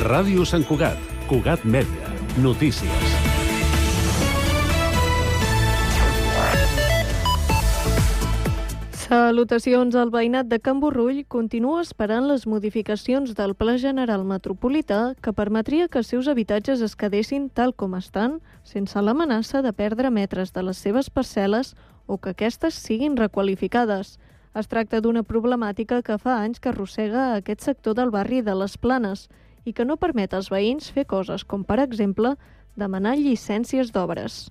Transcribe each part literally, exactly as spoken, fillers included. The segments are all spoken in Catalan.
Ràdio Sant Cugat, Cugat Mèdia, notícies. Salutacions. El veïnat de Can Borrull continua esperant les modificacions del Pla General Metropolità que permetria que els seus habitatges es quedessin tal com estan, sense l'amenaça de perdre metres de les seves parcel·les o que aquestes siguin requalificades. Es tracta d'una problemàtica que fa anys que arrossega aquest sector del barri de les Planes i que no permet als veïns fer coses com, per exemple, demanar llicències d'obres.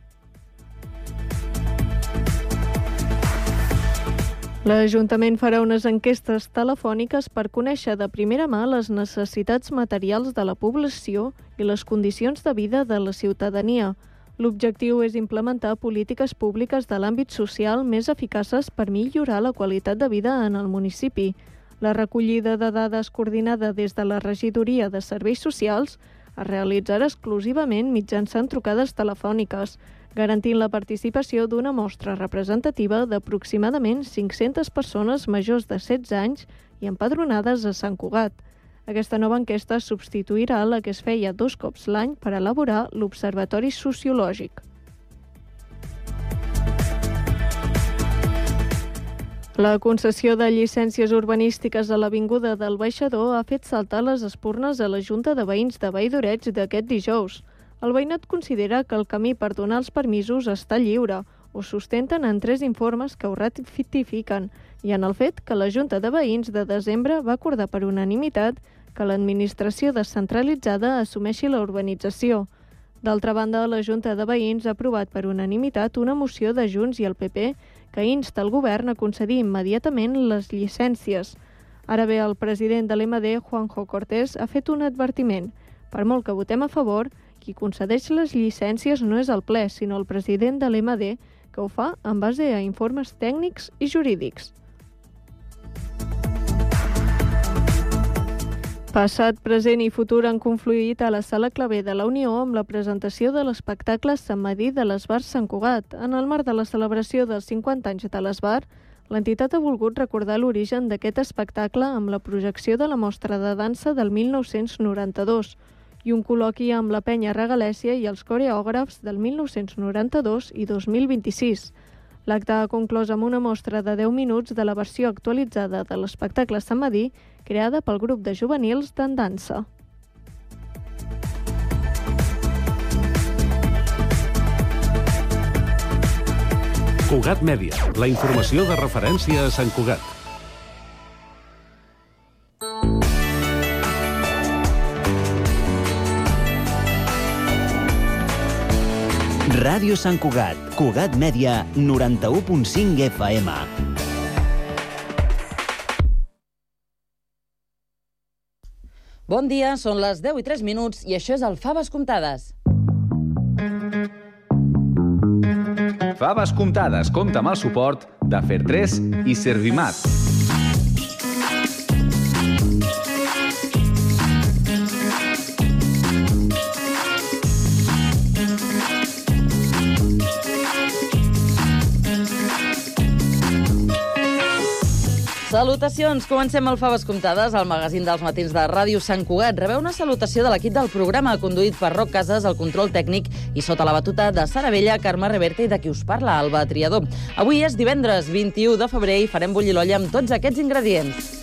L'Ajuntament farà unes enquestes telefòniques per conèixer de primera mà les necessitats materials de la població i les condicions de vida de la ciutadania. L'objectiu és implementar polítiques públiques de l'àmbit social més eficaces per millorar la qualitat de vida en el municipi. La recollida de dades coordinada des de la Regidoria de Serveis Socials es realitzarà exclusivament mitjançant trucades telefòniques, garantint la participació d'una mostra representativa d'aproximadament cinc-centes persones majors de setze anys i empadronades a Sant Cugat. Aquesta nova enquesta substituirà la que es feia dos cops l'any per elaborar l'Observatori Sociològic. La concessió de llicències urbanístiques a l'Avinguda del Baixador ha fet saltar les espurnes a la Junta de Veïns de Vall d'Oreig d'aquest dijous. El veïnat considera que el camí per donar els permisos està lliure, ho sustenten en tres informes que ho ratifiquen, i en el fet que la Junta de Veïns de desembre va acordar per unanimitat que l'administració descentralitzada assumeixi la urbanització. D'altra banda, la Junta de Veïns ha aprovat per unanimitat una moció de Junts i el P P que insta el govern a concedir immediatament les llicències. Ara bé, el president de l'E M D, Juanjo Cortés, ha fet un advertiment. Per molt que votem a favor, qui concedeix les llicències no és el ple, sinó el president de l'E M D, que ho fa en base a informes tècnics i jurídics. Passat, present i futur han confluït a la Sala Clavé de la Unió amb la presentació de l'espectacle Sant Medir de l'Esbar Sant Cugat. En el marc de la celebració dels cinquanta anys de l'Esbar, l'entitat ha volgut recordar l'origen d'aquest espectacle amb la projecció de la mostra de dansa del mil nou-cents noranta-dos i un col·loqui amb la Penya Regalèssia i els coreògrafs del mil nou-cents noranta-dos i dos mil vint-i-sis. L'acte ha conclòs amb una mostra de deu minuts de la versió actualitzada de l'espectacle Sant Medir, creada pel grup de juvenils d'en dansa. Cugat Mèdia, la informació de referència a Sant Cugat. Ràdio Sant Cugat, Cugat Mèdia, noranta-u punt cinc F M. Bon dia, són les deu i tres minuts i això és el Faves Comptades. Faves Comptades compta amb el suport de Fer tres i Servimat. Salutacions! Comencem el Faves Comptades, el magazín dels matins de Ràdio Sant Cugat. Rebeu una salutació de l'equip del programa, conduït per Roc Casas, el control tècnic, i sota la batuta de Sara Vella, Carme Reverte i de qui us parla, Alba Triador. Avui és divendres vint-i-u de febrer i farem bullir l'olla amb tots aquests ingredients.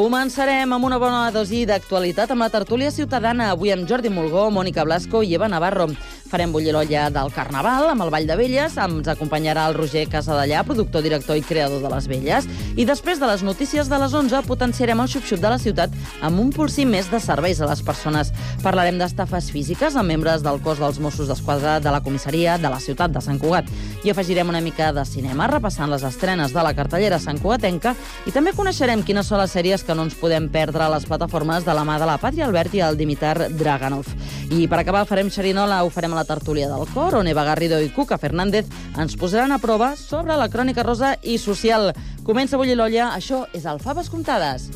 Començarem amb una bona dosi d'actualitat amb la tertúlia ciutadana, avui amb Jordi Mulgó, Mònica Blasco i Eva Navarro. Farem bullir l'olla del Carnaval amb el Ball de Velles, ens acompanyarà el Roger Casadellà, productor, director i creador de les Velles, i després de les notícies de les onze potenciarem el xup-xup de la ciutat amb un pulsí més de serveis a les persones. Parlarem d'estafes físiques amb membres del cos dels Mossos d'Esquadra, de la comissaria de la ciutat de Sant Cugat. I afegirem una mica de cinema, repassant les estrenes de la cartellera santcugatenca, i també coneixerem quines són les sèries que no ens podem perdre a les plataformes de la mà de la Pàtria Albert i el Dimitar Draganov. I per acabar farem xerinola, ho farem a la tertúlia del cor, on Eva Garrido i Cuca Fernández ens posaran a prova sobre la crònica rosa i social. Comença a bullir l'olla, això és el Faves Comptades.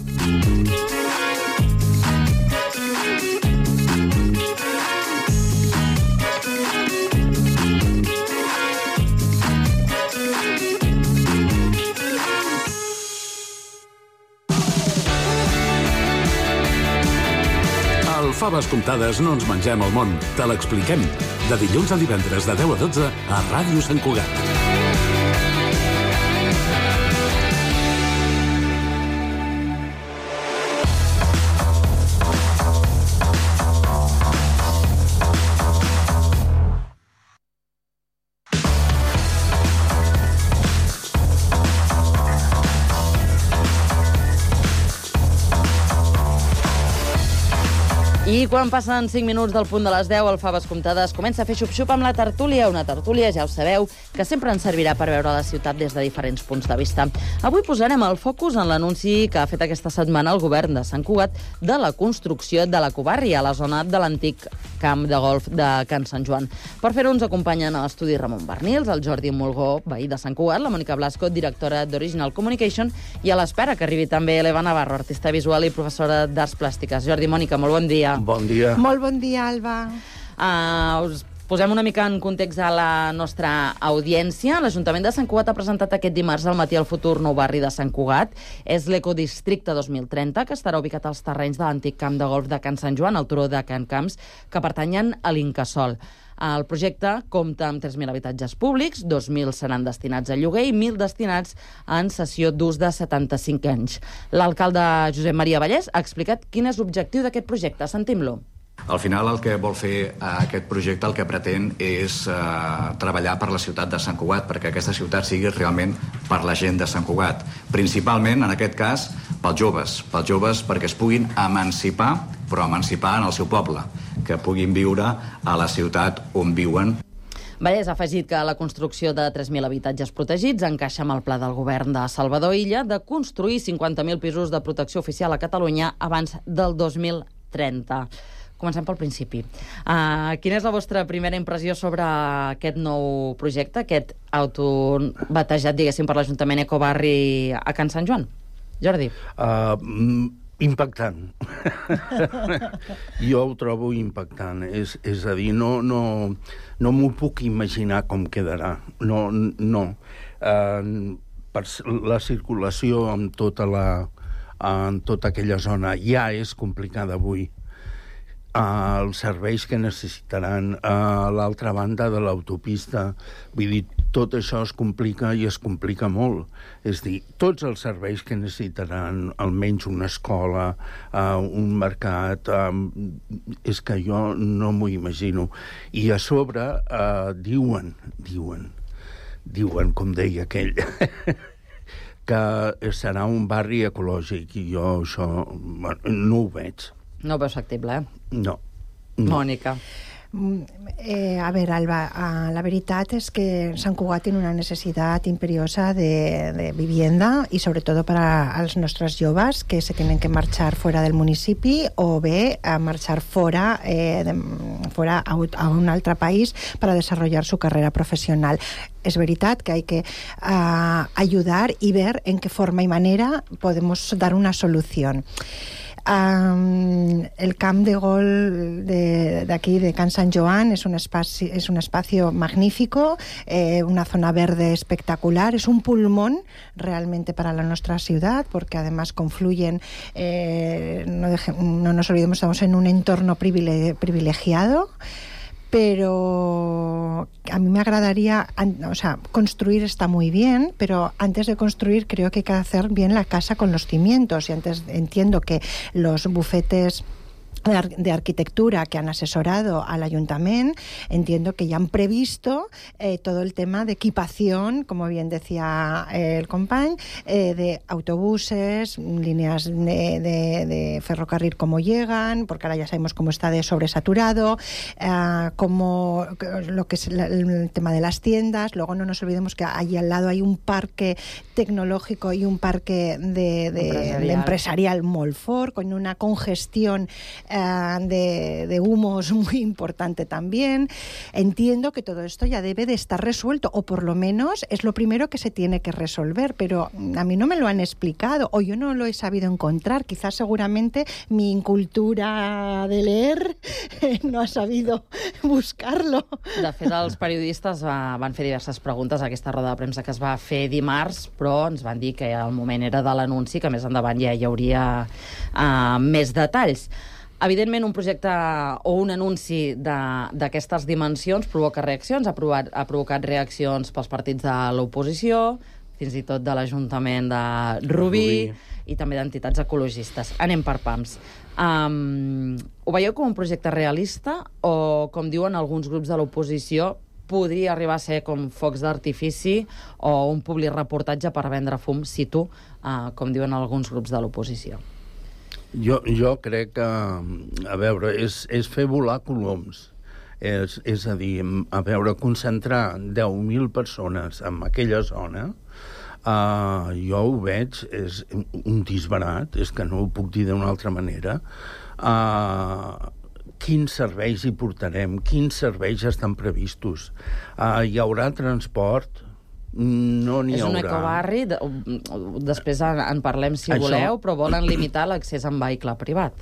faves comptades no ens mengem el món, te l'expliquem. De dilluns a divendres de deu a dotze a Ràdio Sant Cugat. I quan passen cinc minuts del punt de les deu, el Faves Comptades comença a fer xup-xup amb la tertúlia, una tertúlia, ja ho sabeu, que sempre ens servirà per veure la ciutat des de diferents punts de vista. Avui posarem el focus en l'anunci que ha fet aquesta setmana el govern de Sant Cugat de la construcció de l'Ecobarri a la zona de l'antic camp de golf de Can Sant Joan. Per fer-ho ens acompanyen a l'estudi Ramon Bernils, el Jordi Mulgó, veí de Sant Cugat, la Mònica Blasco, directora d'Original Communication, i a l'espera que arribi també l'Eva Navarro, artista visual i professora d'Arts Plàstiques. Jordi, Mònica, molt bon dia. Bon dia. Molt bon dia, Alba. Uh, us posem una mica en context a la nostra audiència. L'Ajuntament de Sant Cugat ha presentat aquest dimarts al matí el futur nou barri de Sant Cugat. És l'Ecodistricte dos mil trenta, que estarà ubicat als terrenys de l'antic camp de golf de Can Sant Joan, al turó de Can Camps, que pertanyen a l'Incasòl. El projecte compta amb tres mil habitatges públics, dos mil seran destinats a lloguer i mil destinats en cessió d'ús de setanta-cinc anys. L'alcalde Josep Maria Vallès ha explicat quin és l'objectiu d'aquest projecte. Sentim-lo. Al final el que vol fer aquest projecte, el que pretén és eh, treballar per la ciutat de Sant Cugat, perquè aquesta ciutat sigui realment per la gent de Sant Cugat. Principalment, en aquest cas, pels joves. Pels joves perquè es puguin emancipar, però emancipar en el seu poble, que puguin viure a la ciutat on viuen. Vallès ha afegit que la construcció de tres mil habitatges protegits encaixa amb el pla del govern de Salvador Illa de construir cinquanta mil pisos de protecció oficial a Catalunya abans del dos mil trenta. Comencem pel principi. Uh, quina és la vostra primera impressió sobre aquest nou projecte, aquest autobatejat, diguéssim, per l'Ajuntament Ecobarri a Can Sant Joan? Jordi. Uh, impactant. Jo ho trobo impactant. És, és a dir, no, no, no m'ho puc imaginar com quedarà. No, no. Uh, per la circulació en tota, la, en tota aquella zona ja és complicada avui. Uh, els serveis que necessitaran a l'altra banda de l'autopista. Vull dir, tot això es complica i es complica molt. És dir, tots els serveis que necessitaran, almenys una escola, uh, un mercat, uh, és que jo no m'ho imagino. I a sobre uh, diuen, diuen, diuen, com deia aquell, que serà un barri ecològic, i jo això bueno, no ho veig. No ho veus factible, eh? No. no. Mònica. Eh, a ver, Alba, uh, la veritat és que Sant Cugat tiene una necesidad imperiosa de, de vivienda y sobre todo para los nuestros joves que se tienen que marchar fuera del municipi o bé a marchar fuera, eh, de, fuera a, a un altre país para desarrollar su carrera profesional. Es veritat que hay que uh, ayudar y ver en qué forma y manera podemos dar una solución. Um, el camp de gol de, de aquí de Can Sant Joan es un espacio, es un espacio magnífico, eh, una zona verde espectacular, es un pulmón realmente para la nuestra ciudad porque además confluyen, eh, no, deje, no nos olvidemos, estamos en un entorno privilegiado, pero a mí me agradaría, o sea, construir está muy bien, pero antes de construir creo que hay que hacer bien la casa con los cimientos, y antes entiendo que los bufetes de arquitectura que han asesorado al Ayuntamiento, entiendo que ya han previsto eh, todo el tema de equipación, como bien decía eh, el compañ, eh, de autobuses, líneas de, de, de ferrocarril como llegan, porque ahora ya sabemos cómo está de sobresaturado, eh, como lo que es la, el tema de las tiendas. Luego no nos olvidemos que allí al lado hay un parque tecnológico y un parque de, de, empresarial. de empresarial molt fort, con una congestión De, de humos muy importante también. Entiendo que todo esto ya debe de estar resuelto, o por lo menos es lo primero que se tiene que resolver, pero a mí no me lo han explicado, o yo no lo he sabido encontrar. Quizás seguramente mi incultura de leer no ha sabido buscarlo. De fet, els periodistes uh, van fer diverses preguntes a aquesta roda de premsa que es va fer dimarts, però ens van dir que el moment era de l'anunci, que més endavant ja hi hauria uh, més detalls. Evidentment, un projecte o un anunci d'aquestes dimensions provoca reaccions, ha, provat, ha provocat reaccions pels partits de l'oposició, fins i tot de l'Ajuntament de Rubí, Rubí. I també d'entitats ecologistes. Anem per pams. Um, ho veieu com un projecte realista o, com diuen alguns grups de l'oposició, podria arribar a ser com focs d'artifici o un public reportatge per vendre fum, cito, uh, com diuen alguns grups de l'oposició? Jo, jo crec que, a veure, és, és fer volar coloms. És, és a dir, a veure, concentrar deu mil persones en aquella zona, uh, jo ho veig, és un disbarat, és que no ho puc dir d'una altra manera. Uh, quins serveis hi portarem? Quins serveis estan previstos? Uh, hi haurà transport? No n'hi haurà. És un ecobarri, de, després en, en parlem si això... voleu, però volen limitar l'accés en vehicle privat.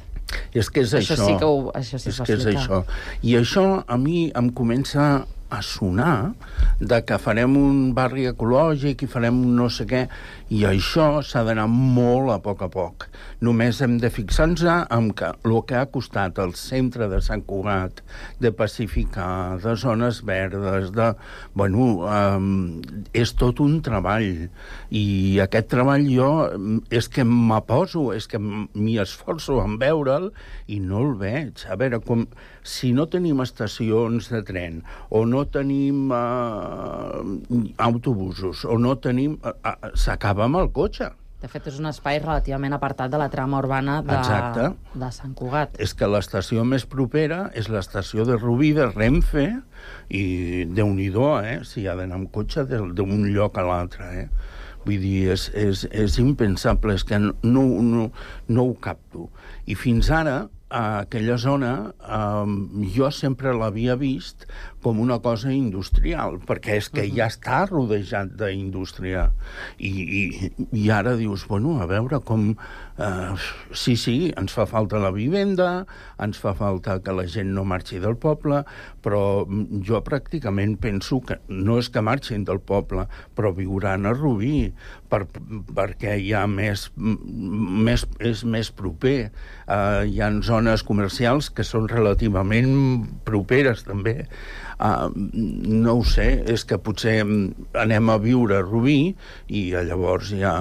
És que és això. Això sí que, ho, això sí és que és això. I això a mi em comença a sonar de que farem un barri ecològic i farem un no sé què, i això s'ha d'anar molt a poc a poc. Només hem de fixar-nos en que el que ha costat al centre de Sant Cugat de pacificar, de zones verdes, de... Bueno, um, és tot un treball. I aquest treball jo és que m'aposo, és que m'hi esforço en veure'l i no el veig. A veure, com, si no tenim estacions de tren o no tenim uh, autobusos o no tenim... Uh, uh, s'acaba amb el cotxe. De fet, és un espai relativament apartat de la trama urbana de, de Sant Cugat. És que l'estació més propera és l'estació de Rubí, de Renfe, i Déu-n'hi-do, eh? Si ha d'anar amb cotxe d'un lloc a l'altre, eh? Vull dir, és, és, és impensable, és que no, no, no ho capto. I fins ara, a aquella zona, eh, jo sempre l'havia vist com una cosa industrial, perquè és que uh-huh. ja està rodejat d'indústria. I, i, I ara dius, bueno, a veure com... Uh, sí, sí, ens fa falta la vivenda, ens fa falta que la gent no marxi del poble, però jo pràcticament penso que no és que marxin del poble, però viuran a Rubí, per, perquè hi ha més, més, és més proper. Uh, hi ha zones comercials que són relativament properes, també. Uh, no ho sé, és que potser anem a viure a Rubí i llavors ja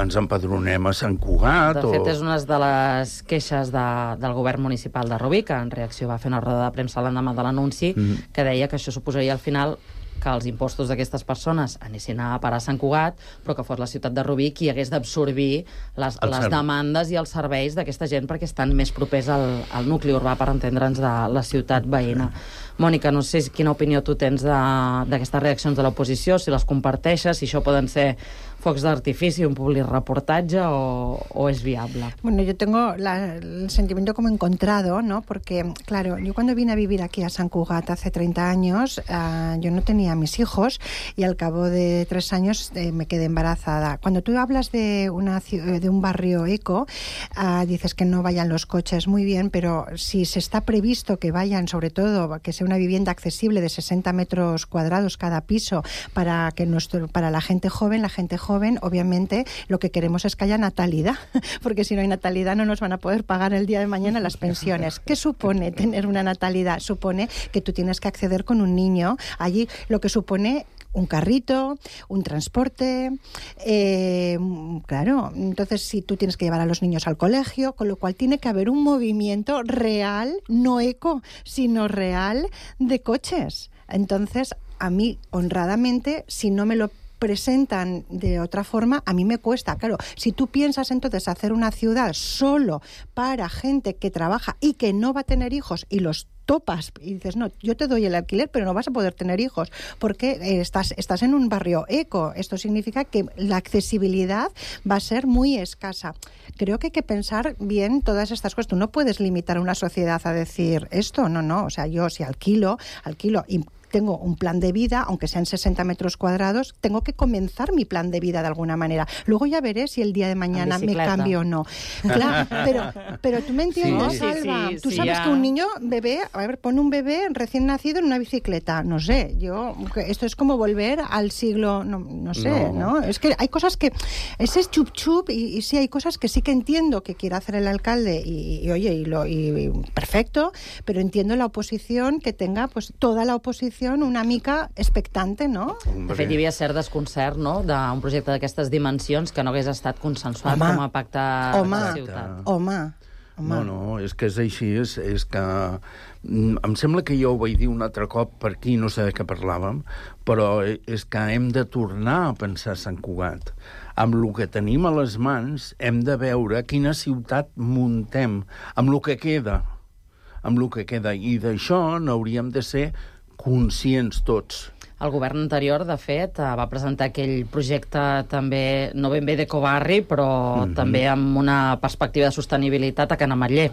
ens empadronem a Sant Cugat. De fet, o... és una de les queixes de, del govern municipal de Rubí, que en reacció va fer una roda de premsa l'endemà de l'anunci, mm. que deia que això suposaria al final que els impostos d'aquestes persones anessin a parar a Sant Cugat, però que fos la ciutat de Rubí qui hagués d'absorbir les, les demandes i els serveis d'aquesta gent perquè estan més propers al, al nucli urbà, per entendre'ns, de la ciutat veïna. Mònica, no sé quina opinió tu tens d'aquestes reaccions de l'oposició, si les comparteixes, si això poden ser focs d'artifici, un public reportatge o, o es viable. Bueno, yo tengo la, el sentimiento como encontrado, ¿no? Porque, claro, yo cuando vine a vivir aquí a Sant Cugat hace treinta años, uh, yo no tenía a mis hijos y al cabo de tres años eh, me quedé embarazada. Cuando tú hablas de, una, de un barrio eco, uh, dices que no vayan los coches, muy bien, pero si se está previsto que vayan, sobre todo, que sea una vivienda accesible de sesenta metros cuadrados cada piso para, que nuestro, para la gente joven, la gente joven joven, obviamente lo que queremos es que haya natalidad, porque si no hay natalidad no nos van a poder pagar el día de mañana las pensiones. ¿Qué supone tener una natalidad? Supone que tú tienes que acceder con un niño allí, lo que supone un carrito, un transporte, eh, claro, entonces si tú tienes que llevar a los niños al colegio, con lo cual tiene que haber un movimiento real, no eco, sino real de coches. Entonces, a mí, honradamente, si no me lo presentan de otra forma, a mí me cuesta. Claro, si tú piensas entonces hacer una ciudad solo para gente que trabaja y que no va a tener hijos y los topas y dices, no, yo te doy el alquiler, pero no vas a poder tener hijos porque eh, estás, estás en un barrio eco. Esto significa que la accesibilidad va a ser muy escasa. Creo que hay que pensar bien todas estas cosas. Tú no puedes limitar a una sociedad a decir esto, no, no. O sea, yo si alquilo, alquilo y tengo un plan de vida, aunque sean sesenta metros cuadrados, tengo que comenzar mi plan de vida de alguna manera. Luego ya veré si el día de mañana me cambio o no. Claro, pero, pero tú me entiendes, sí, Salva. sí, sí, tú sí, sabes ya. que un niño, bebé, a ver, pon un bebé recién nacido en una bicicleta. No sé, yo, esto es como volver al siglo, no, no sé, ¿no? ¿no? Es que hay cosas que, ese es chup chup, y, y sí hay cosas que sí que entiendo que quiere hacer el alcalde, y, y oye, y, lo, y, y perfecto, pero entiendo la oposición que tenga, pues, toda la oposición una mica expectante, no? De fet, hi havia cert desconcert, no?, d'un projecte d'aquestes dimensions que no hagués estat consensuat home, com a pacte home, de la ciutat. Home, home. No, no, és que és així, és, és que... Em sembla que jo ho vaig dir un altre cop per aquí, no sé de què parlàvem, però és que hem de tornar a pensar a Sant Cugat. Amb el que tenim a les mans hem de veure quina ciutat muntem, amb el que queda, amb el que queda. I d'això n'hauríem de ser conscients tots. El govern anterior, de fet, va presentar aquell projecte també, no ben bé d'ecobarri, però mm-hmm. també amb una perspectiva de sostenibilitat a Can Ametller.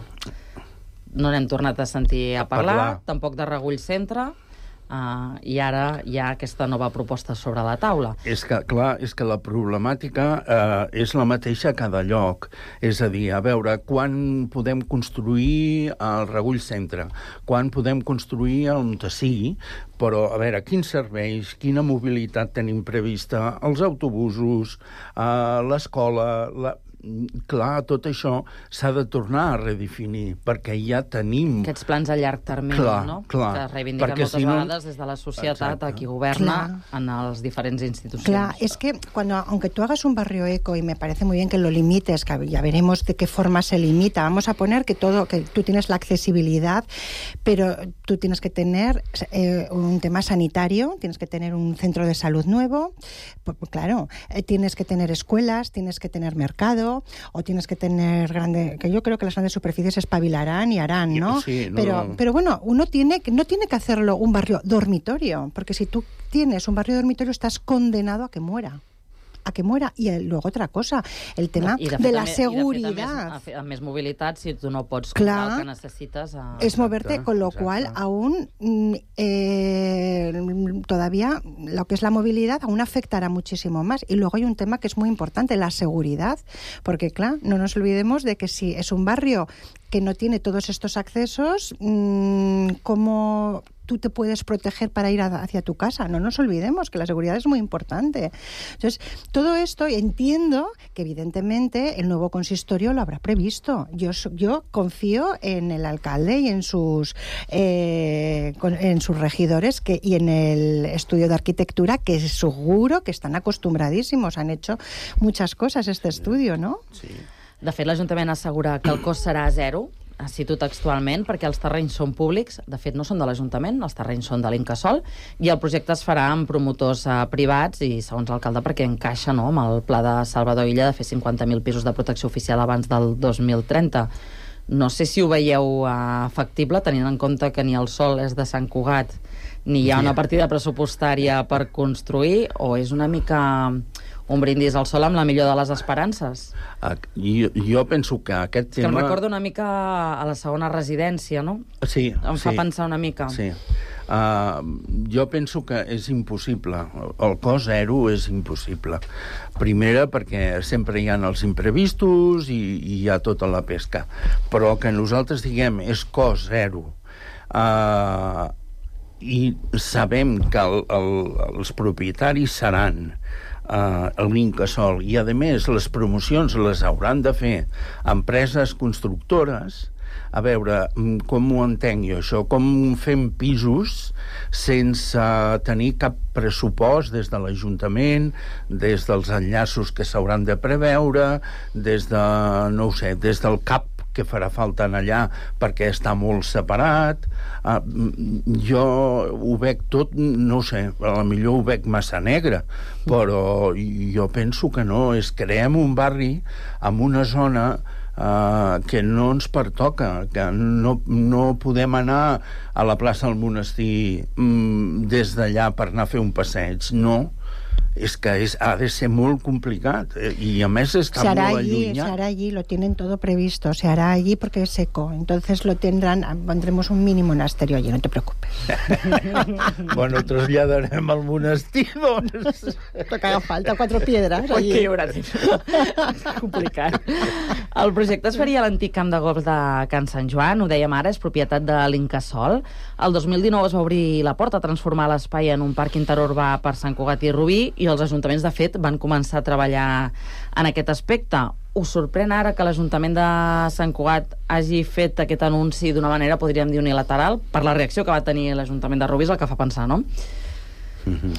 No n'hem tornat a sentir a parlar, a parlar. Tampoc de Regull Centre, uh, i ara hi ha aquesta nova proposta sobre la taula. És que, clar, és que la problemàtica eh, és la mateixa a cada lloc. És a dir, a veure, quan podem construir el Regull Centre, quan podem construir el on sigui, però, a veure, quins serveis, quina mobilitat tenim prevista, els autobusos, eh, l'escola... La... Clar, tot això s'ha de tornar a redefinir, perquè ja tenim... Aquests plans a llarg termini, clar, no? Clar, que reivindiquen moltes si no... vegades des de la societat a qui governa clar. En las diferentes instituciones. Claro, es que cuando, aunque tú hagas un barrio eco, y me parece muy bien que lo limites, que ya veremos de qué forma se limita, vamos a poner que todo, que tú tienes la accesibilidad, pero tú tienes que tener eh, un tema sanitario, tienes que tener un centro de salud nuevo, pues, claro, eh, tienes que tener escuelas, tienes que tener mercado, o tienes que tener grande, que yo creo que las grandes superficies espabilarán y harán, ¿no? Sí, no. Pero, pero bueno, uno tiene no tiene que hacerlo un barrio dormitorio, porque si tú tienes un barrio dormitorio estás condenado a que muera. a que muera. I luego otra cosa, el tema de, de la també, seguridad. I de fet, a més, a més mobilitat, si tu no pots Clar, comprar el que necessites... A... Es moverte, con lo exacte. Cual aún eh, todavía lo que es la movilidad aún afectará muchísimo más. Y luego hay un tema que es muy importante, la seguridad, porque claro, no nos olvidemos de que si es un barrio que no tiene todos estos accesos, mmm, ¿cómo tú te puedes proteger para ir a, hacia tu casa? No nos olvidemos que la seguridad es muy importante. Entonces, todo esto entiendo que evidentemente el nuevo consistorio lo habrá previsto. Yo, yo confío en el alcalde y en sus eh, en sus regidores que, y en el estudio de arquitectura, que seguro que están acostumbradísimos. Han hecho muchas cosas este estudio, ¿no? Sí. De fet, l'Ajuntament assegura que el cost serà zero, cito textualment, perquè els terrenys són públics, de fet no són de l'Ajuntament, els terrenys són de l'Incasòl, i el projecte es farà amb promotors eh, privats i, segons l'alcalde, perquè encaixa no, amb el pla de Salvador Illa de fer cinquanta mil pisos de protecció oficial abans del dos mil trenta. No sé si ho veieu eh, factible, tenint en compte que ni el sòl és de Sant Cugat, ni hi ha una partida pressupostària per construir, o és una mica un brindis al sol amb la millor de les esperances? Uh, jo, jo penso que aquest tema... Que em recorda una mica a la segona residència, no? Sí. Em fa sí, pensar una mica. Sí. Uh, jo penso que és impossible. El cost zero és impossible. Primera, perquè sempre hi ha els imprevistos i, i hi ha tota la pesca. Però que nosaltres diguem és cost zero. Uh, I sabem que el, el, els propietaris seran Uh, l'Incasòl, i a més les promocions les hauran de fer empreses constructores. A veure, com ho entenc jo això? Com fem pisos sense tenir cap pressupost des de l'Ajuntament, des dels enllaços que s'hauran de preveure, des de, no ho sé, des del cap que farà falta en allà perquè està molt separat. Uh, jo ho veig tot, no sé, a lo millor ho veig massa negre, però jo penso que no, és creem un barri amb una zona uh, que no ens pertoca, que no, no podem anar a la plaça del Monestir um, des d'allà per anar a fer un passeig, no. és que és, ha de ser molt complicat, eh, i a més està se hará molt allí, allunyat. Se hará allí, lo tienen todo previsto, se hará allí porque es seco, entonces lo tendrán, pondremos un mini monasterio allí, no te preocupes. Bueno, traslladarem al monestir, doncs. Lo que haga falta, cuatro piedras Oi, allí. que hi haurà complicat. El projecte es faria a l'antic camp de golf de Can Sant Joan, ho dèiem ara, és propietat de l'Incasòl. El dos mil dinou es va obrir la porta a transformar l'espai en un parc interurbà per Sant Cugat i Rubí, i els ajuntaments, de fet, van començar a treballar en aquest aspecte. Us sorprèn ara que l'Ajuntament de Sant Cugat hagi fet aquest anunci d'una manera, podríem dir, unilateral? Per la reacció que va tenir l'Ajuntament de Rubí és el que fa pensar, no? Mm-hmm.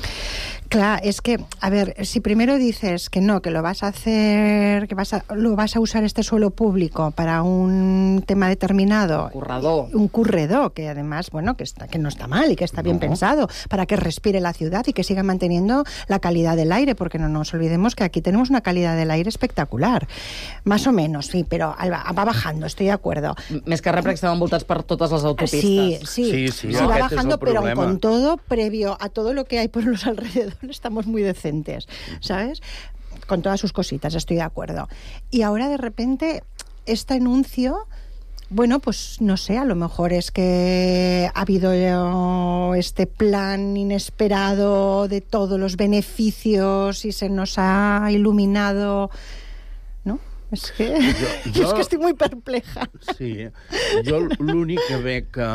Claro, es que, a ver, si primero dices que no, que lo vas a hacer, que vas a, lo vas a usar este suelo público para un tema determinado. Un corredor. Un corredor, que además, bueno, que, está, que no está mal y que está bien no. pensado, para que respire la ciudad y que siga manteniendo la calidad del aire, porque no nos olvidemos que aquí tenemos una calidad del aire espectacular. Más o menos, sí, pero va, va bajando, estoy de acuerdo. Més que res, perquè estem envoltats per totes les autopistes. Sí, sí, sí, sí, sí va bajando, pero problema. con todo, previo a todo lo que hay por los alrededores, estamos muy decentes, ¿sabes? Con todas sus cositas, estoy de acuerdo. Y ahora, de repente, este anuncio, bueno, pues no sé, a lo mejor es que ha habido este plan inesperado de todos los beneficios y se nos ha iluminado, ¿no? És que, jo, jo, és que estic molt perpleja. Sí, jo l'únic que veig que,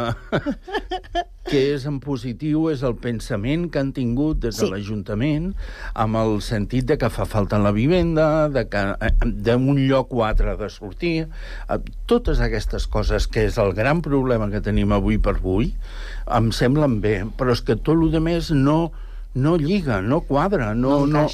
que és en positiu és el pensament que han tingut des de sí. l'Ajuntament, amb el sentit de que fa falta la vivenda, de que d'un lloc o altre de sortir, totes aquestes coses, que és el gran problema que tenim avui per avui, em semblen bé, però és que tot el que més no... no liga, no cuadra, no, no, no,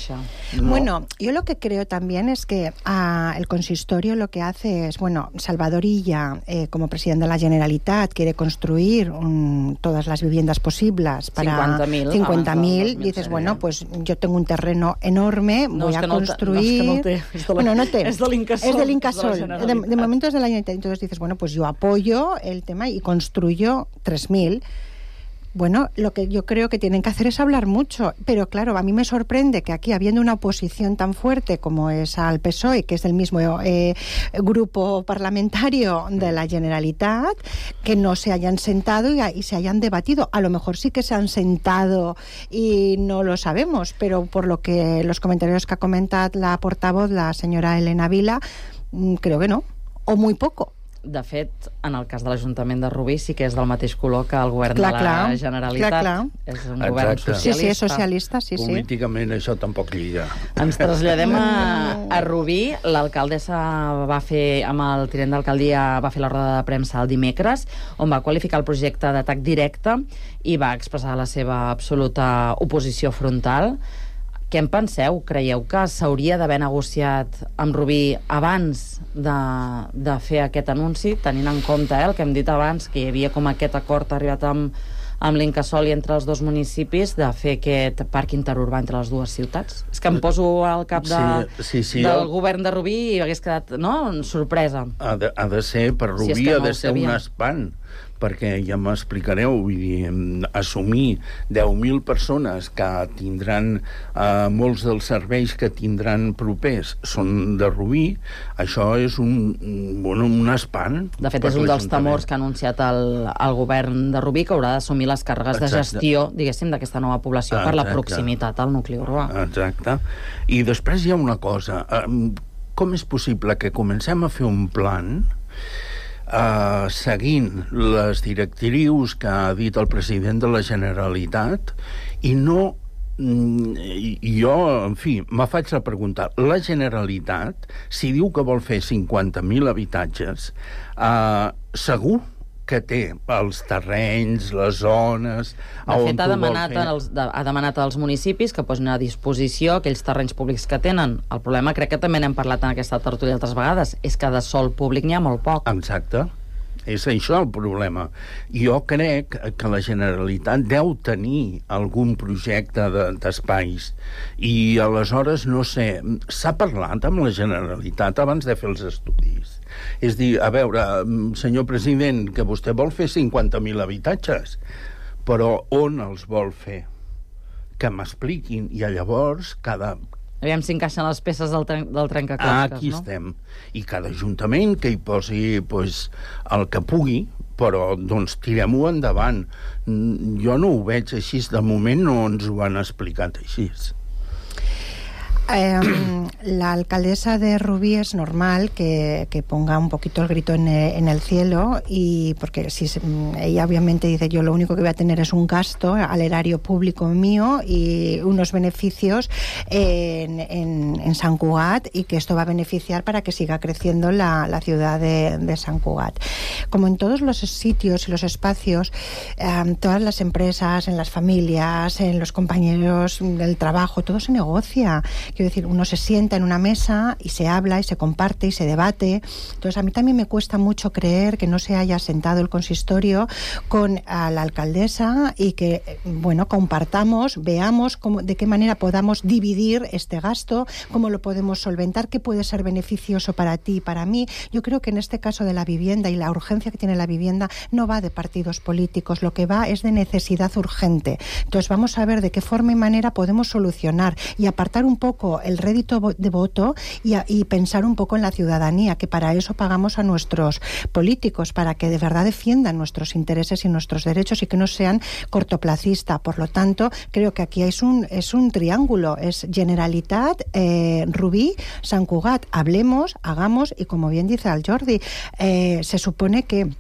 no. Bueno, yo lo que creo también es que uh, el consistorio lo que hace es, bueno, Salvador Illa, eh, como presidente de la Generalitat, quiere construir um, todas las viviendas posibles para cincuenta mil. Dices, bueno, pues yo tengo un terreno enorme, no, voy a no construir... No, es que no té, és de la, bueno, no té. És de l'Incasòl. És de l'Incasòl. De, de, de momento es de la Generalitat. Entonces dices, bueno, pues yo apoyo el tema y construyo tres mil. Bueno, lo que yo creo que tienen que hacer es hablar mucho, pero claro, a mí me sorprende que aquí, habiendo una oposición tan fuerte como es al P S O E, que es del mismo eh, grupo parlamentario de la Generalitat, que no se hayan sentado y, y se hayan debatido. A lo mejor sí que se han sentado y no lo sabemos, pero por lo que los comentarios que ha comentado la portavoz, la señora Elena Vila, creo que no, o muy poco. De fet, en el cas de l'Ajuntament de Rubí sí que és del mateix color que el govern clar, de la clar, Generalitat. Clar, clar. És un Exacte. govern socialista. Sí, sí, és socialista, sí, sí. Políticament això tampoc lliga. Ens traslladem a, a Rubí. L'alcaldessa va fer, amb el tinent d'alcaldia, va fer la roda de premsa el dimecres, on va qualificar el projecte d'atac directe i va expressar la seva absoluta oposició frontal. Què en penseu? Creieu que s'hauria d'haver negociat amb Rubí abans de, de fer aquest anunci, tenint en compte eh, el que hem dit abans, que hi havia com aquest acord arribat amb, amb l'Incasòl i entre els dos municipis de fer aquest parc interurbà entre les dues ciutats? És que em poso al cap de, sí, sí, sí, del el... govern de Rubí i hagués quedat, no?, sorpresa. Ha de, ha de ser, per Rubí si no ha de ser un espant, perquè ja m'explicareu, vull dir, assumir deu mil persones que tindran, eh, molts dels serveis que tindran propers són de Rubí, això és un, bueno, un espant. De fet, és un dels temors que ha anunciat el, el govern de Rubí, que haurà d'assumir les càrregues Exacte. de gestió, diguéssim, d'aquesta nova població Exacte. per la proximitat al nucli urbà. Exacte. I després hi ha una cosa. Com és possible que comencem a fer un plan Uh, seguint les directrius que ha dit el president de la Generalitat i no mm, jo, en fi, me faig la pregunta, la Generalitat, si diu que vol fer cinquanta mil habitatges, uh, segur que té els terrenys, les zones... De fet, ha demanat, els, de, ha demanat als municipis que posin a disposició aquells terrenys públics que tenen. El problema, crec que també n'hem parlat en aquesta tertúlia altres vegades, és que de sòl públic n'hi ha molt poc. Exacte. És això el problema. Jo crec que la Generalitat deu tenir algun projecte d'espais de, i aleshores, no sé, s'ha parlat amb la Generalitat abans de fer els estudis. És dir, a veure, senyor president, que vostè vol fer cinquanta mil habitatges, però on els vol fer? que m'expliquin, i llavors cada... Aviam si encaixen les peces del, tren del trencaclosques, ah, aquí no? estem. I cada ajuntament que hi posi pues, el que pugui, però doncs tirem-ho endavant. Jo no ho veig així, de moment no ens ho han explicat així. Eh, la alcaldesa de Rubí es normal que, que ponga un poquito el grito en, en el cielo, y porque si se, ella obviamente dice, yo lo único que voy a tener es un gasto al erario público mío y unos beneficios en, en, en Sant Cugat, y que esto va a beneficiar para que siga creciendo la, la ciudad de, de Sant Cugat. Como en todos los sitios y los espacios, eh, todas las empresas, en las familias, en los compañeros del trabajo, todo se negocia. Quiero decir, uno se sienta en una mesa y se habla y se comparte y se debate. Entonces, a mí también me cuesta mucho creer que no se haya sentado el consistorio con a la alcaldesa y que, bueno, compartamos, veamos cómo, de qué manera podamos dividir este gasto, cómo lo podemos solventar, qué puede ser beneficioso para ti y para mí. Yo creo que en este caso de la vivienda y la urgencia que tiene la vivienda no va de partidos políticos, lo que va es de necesidad urgente. Entonces, vamos a ver de qué forma y manera podemos solucionar y apartar un poco el rédito de voto y, a, y pensar un poco en la ciudadanía, que para eso pagamos a nuestros políticos, para que de verdad defiendan nuestros intereses y nuestros derechos y que no sean cortoplacistas. Por lo tanto, creo que aquí es un, es un triángulo, es Generalitat, eh, Rubí, Sant Cugat. Hablemos, hagamos, y como bien dice el Jordi, eh, se supone que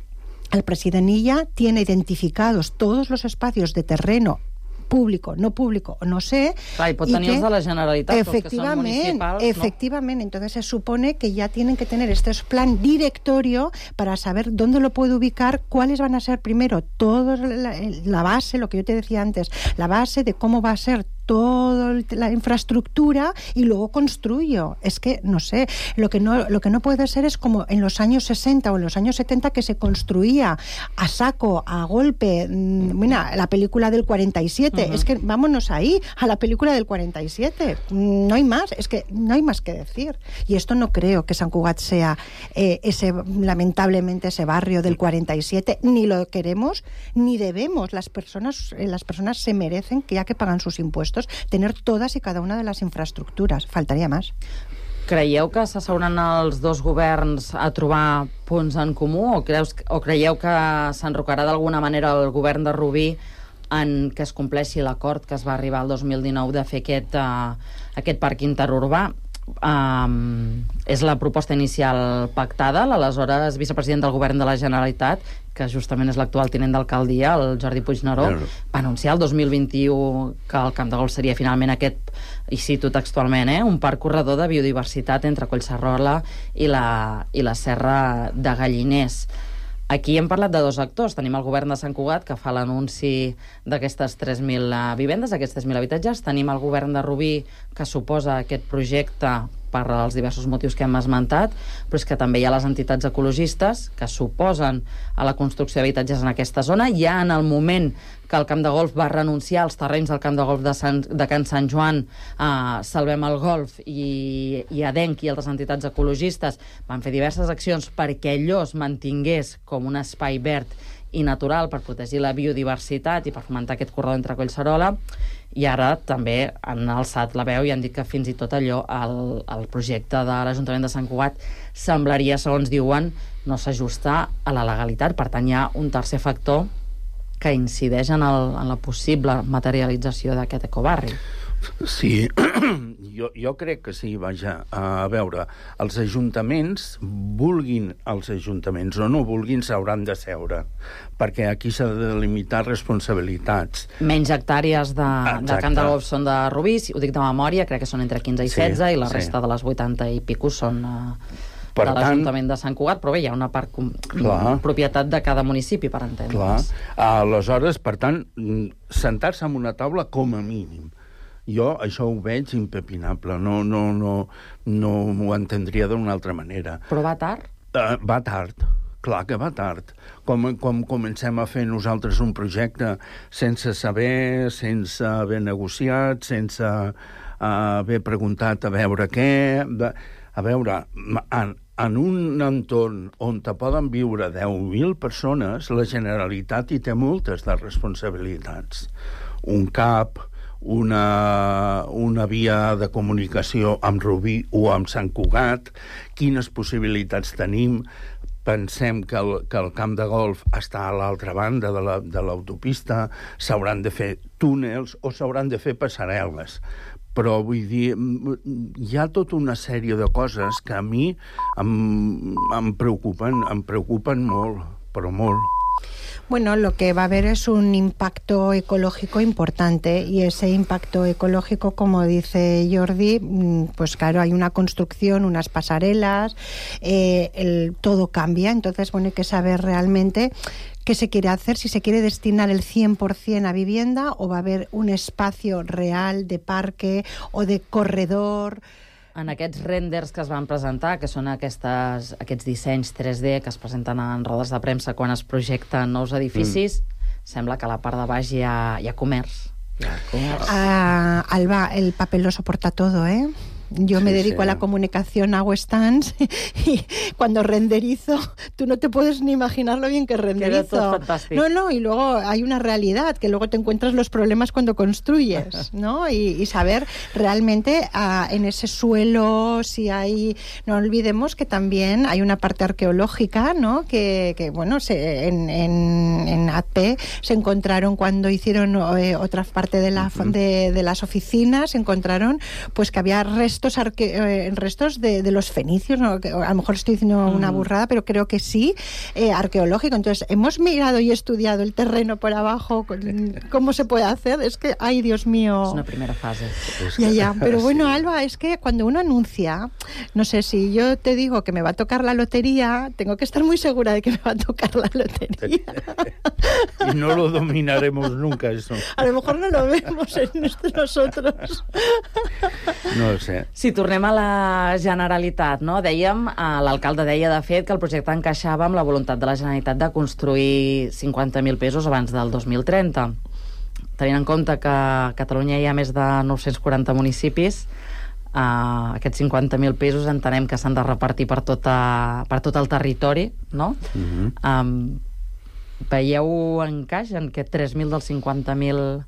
el president Illa tiene identificados todos los espacios de terreno público, no público, no sé. Clar, i pot tenir els de la Generalitat, els que són municipals, efectivamente, ¿no? Entonces se supone que ya tienen que tener este plan directorio para saber dónde lo puede ubicar, cuáles van a ser primero, toda la, la base, lo que yo te decía antes, la base de cómo va a ser toda la infraestructura y luego construyo. Es que, no sé, lo que no, lo que no puede ser es como en los años sesenta o en los años setenta, que se construía a saco, a golpe. Mira, la película del cuarenta y siete, uh-huh. Es que vámonos ahí, a la película del cuarenta y siete. No hay más, es que no hay más que decir. Y esto no creo que Sant Cugat sea eh, ese, lamentablemente, ese barrio del cuarenta y siete, ni lo queremos, ni debemos. Las personas, eh, las personas se merecen, que ya que pagan sus impuestos, tener todas y cada una de las infraestructuras. Faltaria més. Creieu que s'asseuran els dos governs a trobar punts en comú, o, creus, o creieu que s'enrocarà d'alguna manera el govern de Rubí en que es compleixi l'acord que es va arribar el dos mil dinou de fer aquest, uh, aquest parc interurbà? Um, és la proposta inicial pactada. L'aleshores vicepresident del govern de la Generalitat, que justament és l'actual tinent d'alcaldia, el Jordi Puigneró, no. va anunciar el dos mil vint-i-u que el Camp de Golf seria finalment aquest, i cito textualment, eh, un parc corredor de biodiversitat entre Collserola i la, i la Serra de Galliners. Aquí hem parlat de dos actors. Tenim el govern de Sant Cugat, que fa l'anunci d'aquestes tres mil vivendes, d'aquests tres mil habitatges. Tenim el govern de Rubí, que suposa aquest projecte per als diversos motius que hem esmentat, però és que també hi ha les entitats ecologistes que suposen a la construcció d'habitatges en aquesta zona. Ja en el moment que el Camp de Golf va renunciar als terrenys del Camp de Golf de, Sant, de Can Sant Joan, a Salvem el Golf i, i Adenc i altres entitats ecologistes van fer diverses accions perquè allò es mantingués com un espai verd i natural per protegir la biodiversitat i per fomentar aquest corredor entre Collserola, i ara també han alçat la veu i han dit que fins i tot allò, el, el projecte de l'Ajuntament de Sant Cugat semblaria, segons diuen, no s'ajusta a la legalitat. Per tant, hi ha un tercer factor que incideix en, el, en la possible materialització d'aquest ecobarri. Sí, jo, jo crec que sí, vaja, a veure, els ajuntaments, vulguin els ajuntaments o no vulguin, s'hauran de seure, perquè aquí s'ha de limitar responsabilitats. Menys hectàrees de, de Camp de Golf són de Rubí, ho dic de memòria, crec que són entre quinze i setze, sí, i la sí. resta de les vuitanta i pico són uh, de l'Ajuntament de Sant Cugat, però bé, hi ha una part com, propietat de cada municipi, per entendre's. Clar, aleshores, per tant, sentar-se en una taula com a mínim. Jo això ho veig impepinable, no, no, no, no m'ho entendria d'una altra manera. Però va tard? Uh, va tard, clar que va tard. Com, com comencem a fer nosaltres un projecte sense saber, sense haver negociat, sense uh, haver preguntat a veure què... De, a veure, en, en un entorn on te poden viure deu mil persones, la Generalitat hi té moltes de responsabilitats. Un CAP... una, una via de comunicació amb Rubí o amb Sant Cugat, quines possibilitats tenim. Pensem que el, que el camp de golf està a l'altra banda de la, de l'autopista, s'hauran de fer túnels o s'hauran de fer passarel·les. Però, vull dir, hi ha tota una sèrie de coses que a mi em, em preocupen, em preocupen molt, però molt. Bueno, lo que va a haber es un impacto ecológico importante y ese impacto ecológico, como dice Jordi, pues claro, hay una construcción, unas pasarelas, eh, el, todo cambia, entonces bueno, hay que saber realmente qué se quiere hacer, si se quiere destinar el cien por ciento a vivienda o va a haber un espacio real de parque o de corredor. En aquests renders que es van presentar, que són aquestes, aquests dissenys tres D que es presenten en rodes de premsa quan es projecten nous edificis, mm. sembla que a la part de baix hi ha, hi ha comerç. Hi ha comerç. Uh, Alba, el papel lo soporta todo, ¿eh? Yo me sí, dedico sí. a la comunicación, hago stands y cuando renderizo, tú no te puedes ni imaginar lo bien que renderizo. No, no, y luego hay una realidad, que luego te encuentras los problemas cuando construyes, ¿no? Y, y saber realmente uh, en ese suelo si hay... No olvidemos que también hay una parte arqueológica, ¿no? Que, que bueno, se, en, en, en A P se encontraron cuando hicieron eh, otra parte de, la, uh-huh. de, de las oficinas, se encontraron pues que había restos Restos, arque, eh, restos de, de los fenicios, ¿no? Que a lo mejor estoy diciendo mm. una burrada, pero creo que sí, eh, arqueológico. Entonces, hemos mirado y estudiado el terreno por abajo, cómo se puede hacer. Es que, ay, Dios mío. Es una primera fase. Ya, ya. Pero bueno, Alba, es que cuando uno anuncia, no sé, si yo te digo que me va a tocar la lotería, tengo que estar muy segura de que me va a tocar la lotería. Y no lo dominaremos nunca, eso. A lo mejor no lo vemos en nosotros. No ho sé. Si tornem a la Generalitat, no? Dèiem, l'alcalde deia, de fet, que el projecte encaixava amb la voluntat de la Generalitat de construir cinquanta mil pisos abans del dos mil trenta. Tenint en compte que a Catalunya hi ha més de nou-cents quaranta municipis, eh, aquests cinquanta mil pisos entenem que s'han de repartir per, tota, per tot el territori, no? Uh-huh. Um, veieu encaix en que tres mil dels cinquanta mil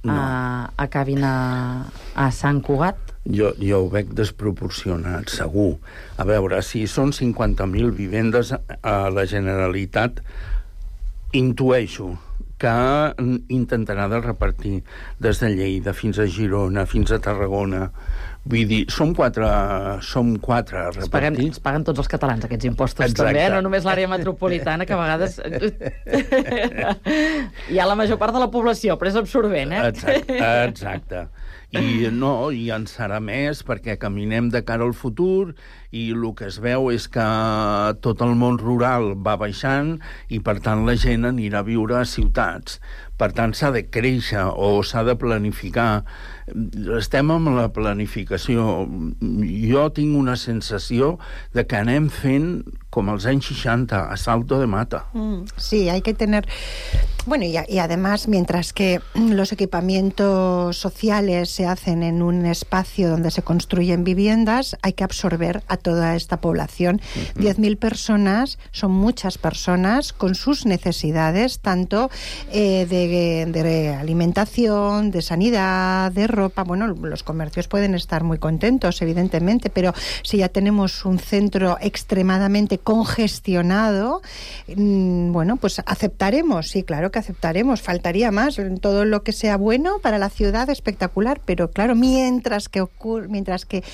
no. uh, acabin a, a Sant Cugat? Jo, jo ho veig desproporcionat, segur. A veure, si són cinquanta mil vivendes a la Generalitat, intueixo que intentarà de repartir des de Lleida fins a Girona, fins a Tarragona. Vull dir, som quatre, som quatre repartits. Es paguen, es paguen tots els catalans, aquests impostos. Exacte. També, no només l'àrea metropolitana, que a vegades hi ha la major part de la població, però és absorbent, eh? Exacte, exacte. I no, i en serà més perquè caminem de cara al futur i el que es veu és que tot el món rural va baixant i per tant la gent anirà a viure a ciutats. Per tant s'ha de créixer o s'ha de planificar. Estem amb la planificació. Jo tinc una sensació de que anem fent com els anys seixanta, a salto de mata. Mm, sí, hay que tener... Bueno, y, y además, mientras que los equipamientos sociales se hacen en un espacio donde se construyen viviendas, hay que absorber a toda esta población. Uh-huh. diez mil personas son muchas personas con sus necesidades, tanto eh, de, de alimentación, de sanidad, de ropa. Bueno, los comercios pueden estar muy contentos, evidentemente, pero si ya tenemos un centro extremadamente congestionado, mmm, bueno, pues aceptaremos, sí, claro que aceptaremos, faltaría más, todo lo que sea bueno para la ciudad, espectacular, pero claro, mientras que ocurre, mientras que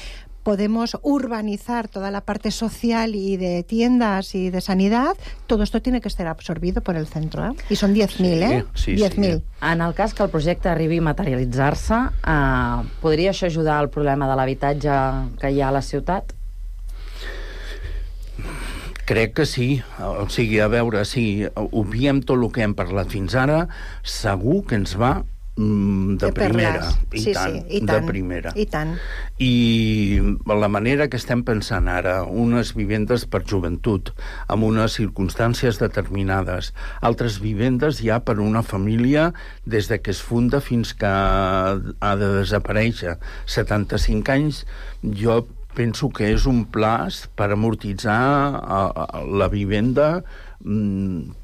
podemos urbanizar toda la parte social y de tiendas y de sanidad, todo esto tiene que ser absorbido por el centro, ¿eh? I són diez mil, sí, eh? Sí, diez mil. Sí. En el cas que el projecte arribi a materialitzar-se, eh, podria això ajudar al problema de l'habitatge que hi ha a la ciutat? Crec que sí. O sigui, a veure, si obviem tot el que hem parlat fins ara, segur que ens va mm, de, de primera. I, sí, tant, sí, i tant, de primera. I tant. I la manera que estem pensant ara, unes vivendes per joventut, amb unes circumstàncies determinades, altres vivendes ja per una família des de que es funda fins que ha de desaparèixer. setanta-cinc anys, jo penso que és un pla per amortitzar la vivenda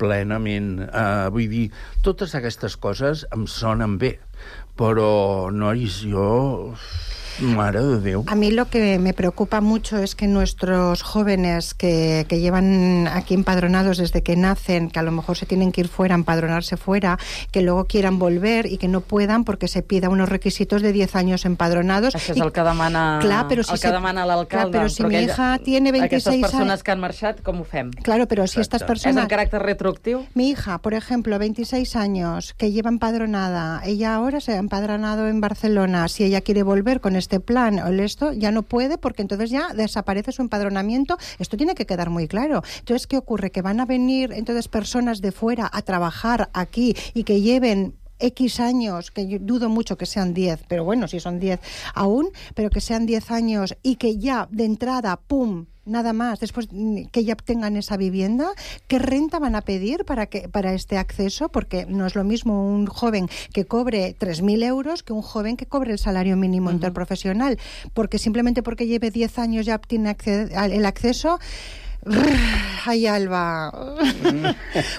plenament. Uh, vull dir, totes aquestes coses em sonen bé, però, nois, jo... Mare de Déu. A mí lo que me preocupa mucho es que nuestros jóvenes que, que llevan aquí empadronados desde que nacen, que a lo mejor se tienen que ir fuera, empadronarse fuera, que luego quieran volver y que no puedan porque se pida unos requisitos de diez años empadronados. Això és el que demana, clar, però si el que se, demana l'alcalde. Clar, però si mi hija tiene veintiséis aquestes persones años... que han marxat, com ho fem? Claro, pero si estas personas... ¿Es en carácter retroactivo? Mi hija, por ejemplo, veintiséis años, que lleva empadronada, ella ahora se ha empadronado en Barcelona, si ella quiere volver con este plan o esto, ya no puede porque entonces ya desaparece su empadronamiento. Esto tiene que quedar muy claro. Entonces, ¿qué ocurre? Que van a venir entonces personas de fuera a trabajar aquí y que lleven X años, que yo dudo mucho que sean diez, pero bueno, si son diez aún, pero que sean diez años y que ya de entrada, ¡pum!, nada más, después que ya tengan esa vivienda, ¿qué renta van a pedir para que para este acceso? Porque no es lo mismo un joven que cobre tres mil euros que un joven que cobre el salario mínimo uh-huh. interprofesional, porque simplemente porque lleve diez años ya obtiene acced- el acceso. Ai, Alba. Mm.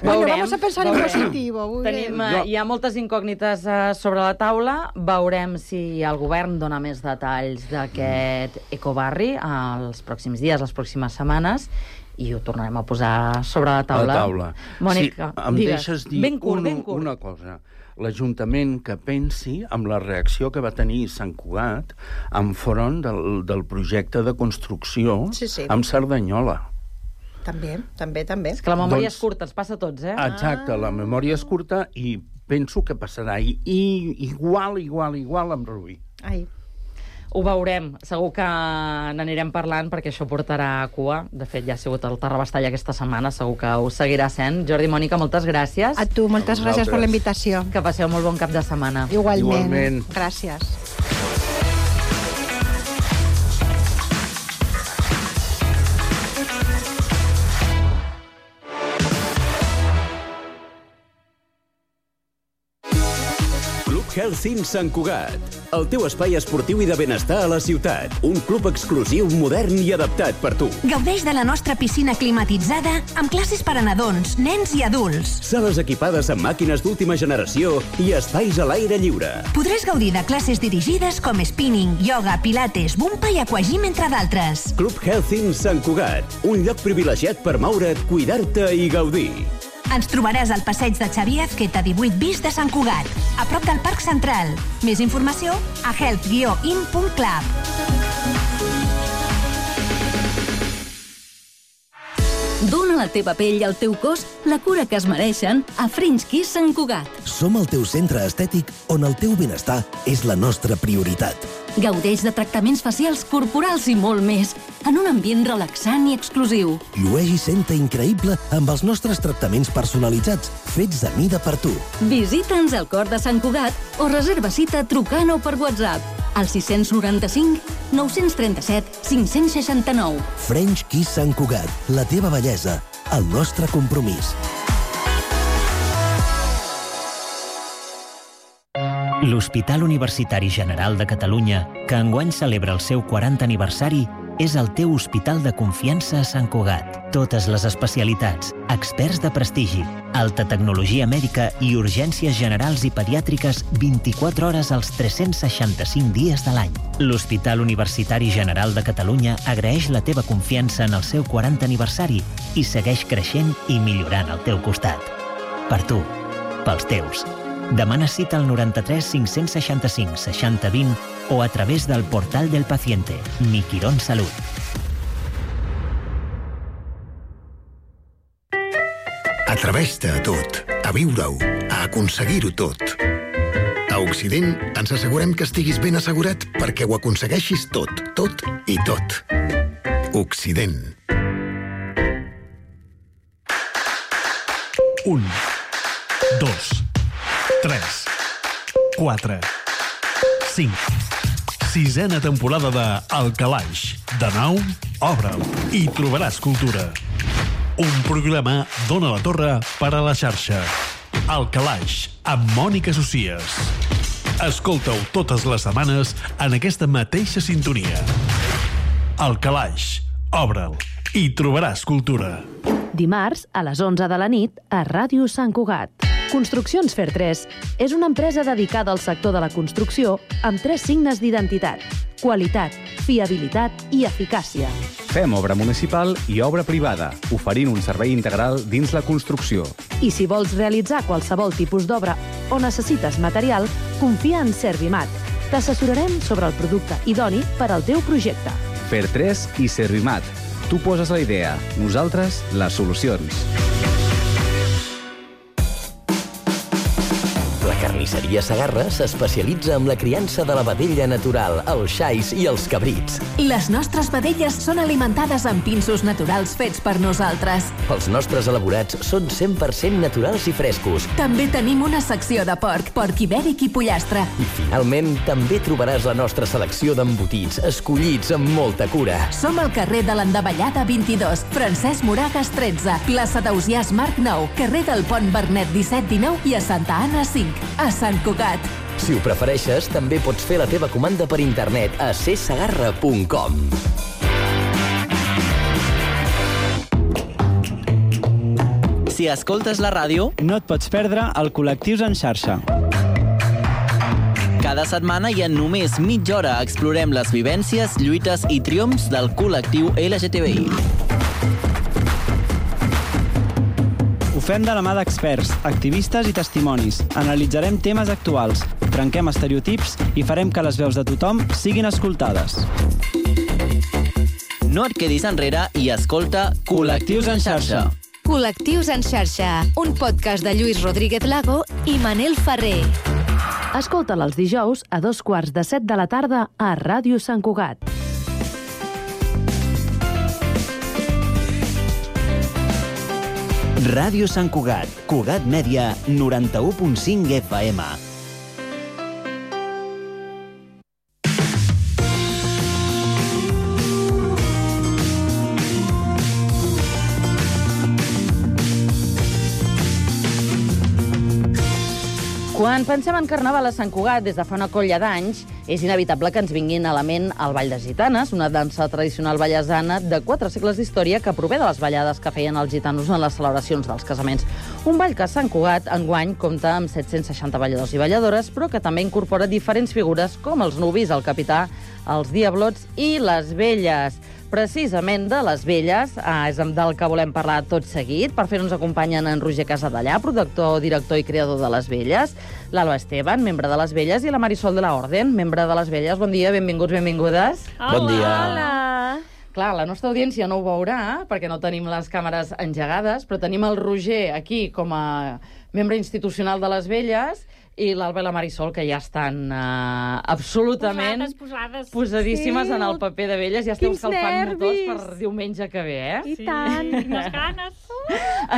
Bueno, veurem, vamos a pensar veurem. en positivo. Tenim, uh, hi ha moltes incògnites uh, sobre la taula. Veurem si el govern dona més detalls d'aquest ecobarri els pròxims dies, les pròximes setmanes, i ho tornarem a posar sobre la taula. La taula. Mònica, sí, em digues. deixes dir ben curt, un, ben curt. una cosa. L'Ajuntament que pensi amb la reacció que va tenir Sant Cugat enfront del, del projecte de construcció sí, sí. amb Cerdanyola. També, també, també. És que la memòria doncs, és curta, ens passa a tots, eh? Exacte, ah. la memòria és curta i penso que passarà i, i igual, igual, igual amb Rubí. Ai. Ho veurem. Segur que n'anirem parlant perquè això portarà a cua. De fet, ja ha sigut el Terrabastall aquesta setmana, segur que ho seguirà sent. Jordi, Mònica, moltes gràcies. A tu, moltes gràcies per la invitació. Que passeu molt bon cap de setmana. Igualment. Igualment. Gràcies. Health Inn Sant Cugat, el teu espai esportiu i de benestar a la ciutat. Un club exclusiu, modern i adaptat per tu. Gaudeix de la nostra piscina climatitzada amb classes per a nadons, nens i adults. Sales equipades amb màquines d'última generació i espais a l'aire lliure. Podràs gaudir de classes dirigides com spinning, yoga, pilates, bumpa i aquagym, entre d'altres. Club Health Inn Sant Cugat, un lloc privilegiat per moure't, cuidar-te i gaudir. Ens trobaràs al passeig de Xavier Azqueta divuit bis de Sant Cugat, a prop del Parc Central. Més informació a health guió in punt club. Dóna a la teva pell i al teu cos la cura que es mereixen a French Kiss Sant Cugat. Som el teu centre estètic on el teu benestar és la nostra prioritat. Gaudeix de tractaments facials, corporals i molt més, en un ambient relaxant i exclusiu. Llueix i senta increïble amb els nostres tractaments personalitzats, fets a mida per tu. Visita'ns al cor de Sant Cugat o reserva cita trucant o per WhatsApp al sis noranta-cinc nou trenta-set cinc seixanta-nou. French Kiss Sant Cugat, la teva bellesa, el nostre compromís. L'Hospital Universitari General de Catalunya, que enguany celebra el seu quaranta aniversari, és el teu hospital de confiança a Sant Cugat. Totes les especialitats, experts de prestigi, alta tecnologia mèdica i urgències generals i pediàtriques vint-i-quatre hores als tres-cents seixanta-cinc dies de l'any. L'Hospital Universitari General de Catalunya agraeix la teva confiança en el seu quaranta aniversari i segueix creixent i millorant al teu costat. Per tu, pels teus. Demana cita al noranta-tres cinc-cents seixanta-cinc seixanta vint o a través del portal del paciente, Mi Quirón Salut. Atreveix-te a tot, a viure-ho, a aconseguir-ho tot. A Occident ens assegurem que estiguis ben assegurat perquè ho aconsegueixis tot, tot i tot. Occident. Un, dos, tres, quatre, cinc. Sisena temporada de El Calaix. De nou, obre'l i trobaràs cultura. Un programa d'Ona la Torre per a la xarxa. El Calaix, amb Mònica Socies. Escolta-ho totes les setmanes en aquesta mateixa sintonia. El Calaix. Obre'l i trobaràs cultura. Dimarts, a les onze de la nit, a Ràdio Sant Cugat. Construccions Fer tres és una empresa dedicada al sector de la construcció amb tres signes d'identitat: qualitat, fiabilitat i eficàcia. Fem obra municipal i obra privada, oferint un servei integral dins la construcció. I si vols realitzar qualsevol tipus d'obra o necessites material, confia en Servimat. T'assessorarem sobre el producte idoni per al teu projecte. Fer tres i Servimat. Tu poses la idea, nosaltres les solucions. La carnisseria Segarra s'especialitza en la criança de la vedella natural, els xais i els cabrits. Les nostres vedelles són alimentades amb pinsos naturals fets per nosaltres. Els nostres elaborats són cent per cent naturals i frescos. També tenim una secció de porc, porc ibèric i pollastre. I finalment també trobaràs la nostra selecció d'embotits, escollits amb molta cura. Som al carrer de l'Endavellada vint-i-dos, Francesc Moragas tretze, plaça d'Ausiàs Marc nou, carrer del Pont Bernet disset dinou i a Santa Anna cinc, a Sant Cugat. Si ho prefereixes, també pots fer la teva comanda per internet a c segarra punt com. Si escoltes la ràdio, no et pots perdre el Col·lectius en xarxa. Cada setmana i en només mitja hora explorem les vivències, lluites i triomfs del col·lectiu L G T B I. Ho fem de la mà d'experts, activistes i testimonis. Analitzarem temes actuals, trenquem estereotips i farem que les veus de tothom siguin escoltades. No et quedis enrere i escolta Col·lectius en xarxa. Col·lectius en xarxa, un podcast de Lluís Rodríguez Lago i Manel Ferrer. Escolta'l els dijous a dos quarts de set de la tarda a Ràdio Sant Cugat. Ràdio Sant Cugat, Cugat Mèdia, noranta-u punt cinc F M. Quan pensem en Carnaval a Sant Cugat des de fa una colla d'anys, és inevitable que ens vinguin a la ment el Ball de Gitanes, una dansa tradicional ballesana de quatre segles d'història que prové de les ballades que feien els gitanos en les celebracions dels casaments. Un ball que a Sant Cugat enguany compta amb set-cents seixanta balladors i balladores, però que també incorpora diferents figures com els nuvis, el capità, els diablots i les velles. Precisament de les velles eh, és del que volem parlar tot seguit. Per fer-nos acompanyen en Roger Casadellà, productor, director i creador de les velles, l'Alba Esteban, membre de les velles, i la Marisol de la Orden, membre de les velles. Bon dia, benvinguts, benvingudes. Hola. Bon dia. Hola. Clar, la nostra audiència no ho veurà, perquè no tenim les càmeres engegades, però tenim el Roger aquí com a membre institucional de les velles, i l'Alba i la Marisol, que ja estan uh, absolutament posades, posades. posadíssimes sí. en el paper de velles. Ja esteu escalfant motors per diumenge que ve, eh? I sí. tant, les ganes.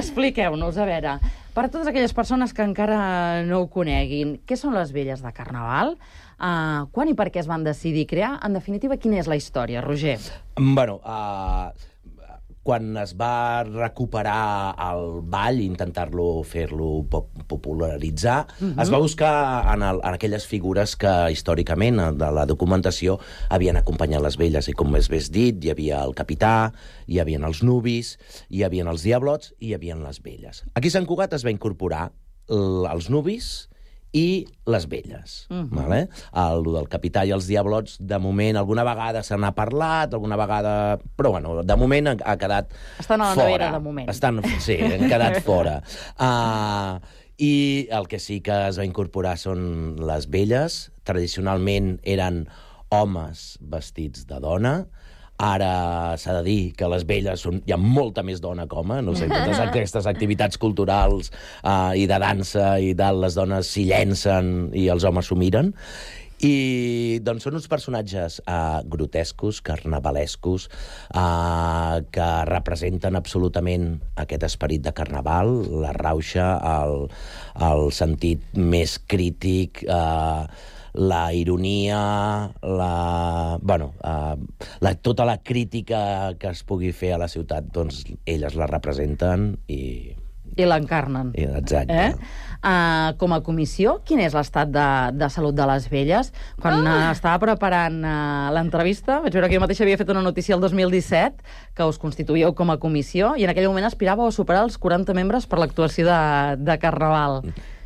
Expliqueu-nos, a veure, per a totes aquelles persones que encara no ho coneguin, què són les velles de Carnaval? Uh, quan i per què es van decidir crear? En definitiva, quina és la història, Roger? Bueno, uh, quan es va recuperar el ball, intentar-lo fer-lo popularitzar, uh-huh. es va buscar en, el, en aquelles figures que històricament de la documentació havien acompanyat les velles, i com més bé dit, hi havia el capità, hi havia els nuvis, hi havia els diablots i hi havia les velles. Aquí a Sant Cugat es va incorporar l- els nuvis i les velles. Uh-huh. Vale? El del capità i els diablots, de moment, alguna vegada se n'ha parlat, alguna vegada... Però, bueno, de moment ha, ha quedat fora. Estan a la nevera, de moment. Estan, sí, han quedat fora. Uh, I el que sí que es va incorporar són les velles. Tradicionalment eren homes vestits de dona. Ara s'ha de dir que les velles són, hi ha molta més dona que home, no sé, totes aquestes activitats culturals uh, i de dansa i tal, les dones s'hi llencen i els homes s'ho miren. I doncs són uns personatges uh, grotescos, carnavalescos, uh, que representen absolutament aquest esperit de carnaval, la rauxa, el, el sentit més crític, uh, la ironia, la, bueno, uh, la, tota la crítica que es pugui fer a la ciutat, doncs elles la representen i, I l'encarnen. Exacte. Eh? Uh, com a comissió, quin és l'estat de, de salut de les velles? Quan uh, estava preparant uh, l'entrevista, vaig veure que jo mateixa havia fet una notícia el dos mil disset, que us constituïeu com a comissió, i en aquell moment aspiràveu a superar els quaranta membres per l'actuació de, de Carnaval.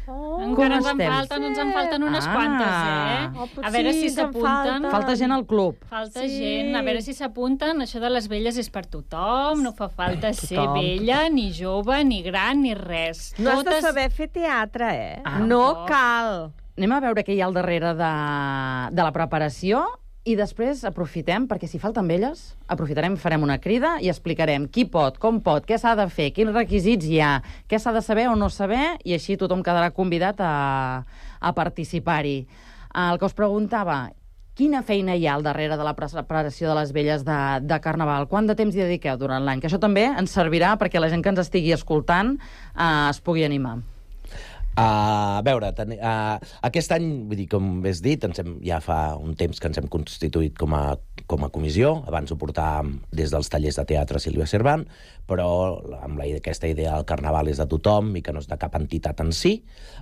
Oh, encara ens en falten, ens en falten unes Ah. quantes, eh? Oh, a veure sí, si ens en s'apunten. falten. Falta gent al club. Falta Sí. gent, a veure si s'apunten. Això de les velles és per tothom, no fa falta ser Tothom. vella, ni jove, ni gran, ni res. No has de saber fer teatre, eh? Ah, no no. cal. Anem a veure què hi ha al darrere de, de la preparació i després aprofitem, perquè si falten velles, aprofitarem, farem una crida i explicarem qui pot, com pot, què s'ha de fer, quins requisits hi ha, què s'ha de saber o no saber, i així tothom quedarà convidat a, a participar-hi. El que us preguntava, quina feina hi ha al darrere de la preparació de les velles de, de Carnaval? Quant de temps hi dediqueu durant l'any? Que això també ens servirà perquè la gent que ens estigui escoltant eh, es pugui animar. Uh, a veure, ten, uh, aquest any, vull dir, com has dit, ens hem, ja fa un temps que ens hem constituït com a, com a comissió. Abans ho portàvem des dels tallers de teatre Sílvia Cervant, però amb la, aquesta idea del Carnaval és de tothom i que no és de cap entitat en si,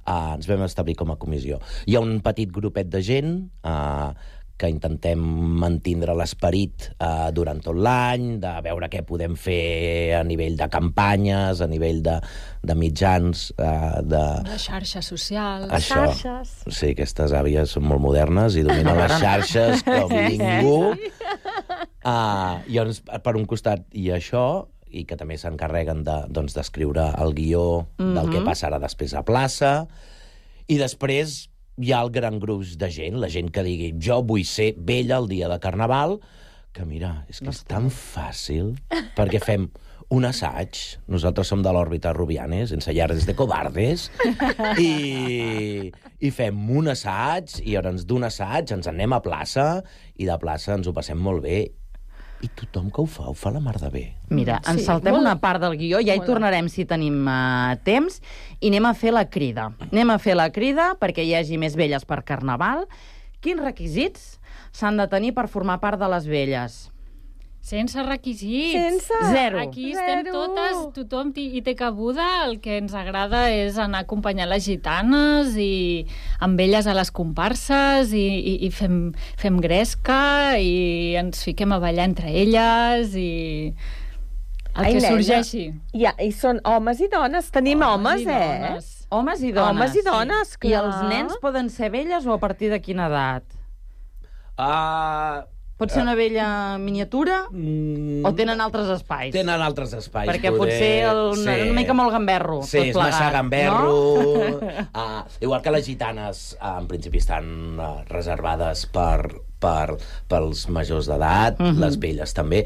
uh, ens vam establir com a comissió. Hi ha un petit grupet de gent uh, que intentem mantindre l'esperit eh, durant tot l'any, de veure què podem fer a nivell de campanyes, a nivell de, de mitjans, eh, de... Les xarxes socials. Això. Xarxes. Sí, aquestes àvies són molt modernes i dominen les xarxes com ningú. Uh, llavors, per un costat, hi ha això, i que també s'encarreguen de, doncs, d'escriure el guió del Mhm. que passarà després a plaça, i després hi ha el gran gruix de gent, la gent que digui jo vull ser vella el dia de Carnaval, que mira, és que és tan fàcil, perquè fem un assaig, nosaltres som de l'òrbita Rubianes, ensayardes de cobardes, i, i fem un assaig, i llavors d'un assaig ens anem a plaça, i de plaça ens ho passem molt bé, i tothom que ho fa, ho fa la mar de bé. Mira, ens Sí, saltem molt- una part del guió, ja hi molt. tornarem si tenim uh, temps, i anem a fer la crida. Anem a fer la crida perquè hi hagi més velles per Carnaval. Quins requisits s'han de tenir per formar part de les velles? Sense requisits. Sense. Zero. Aquí estem Zero. totes, tothom hi hi té cabuda. El que ens agrada és anar a acompanyar les gitanes i amb elles a les comparses i, i, i fem, fem gresca i ens fiquem a ballar entre elles i el Ai, que nena, sorgeixi. Ja, i són homes i dones. Tenim homes, i eh? dones. Homes i dones. Homes i dones, I clar. els nens poden ser velles o a partir de quina edat? Uh, Pot ser una vella miniatura mm, o tenen altres espais? Tenen altres espais. Perquè potser el, una, una mica molt gamberro. Sí, tot és plegat, massa gamberro. No? uh, igual que les gitanes, uh, en principi estan uh, reservades per, per, pels majors d'edat, Mhm. les velles també.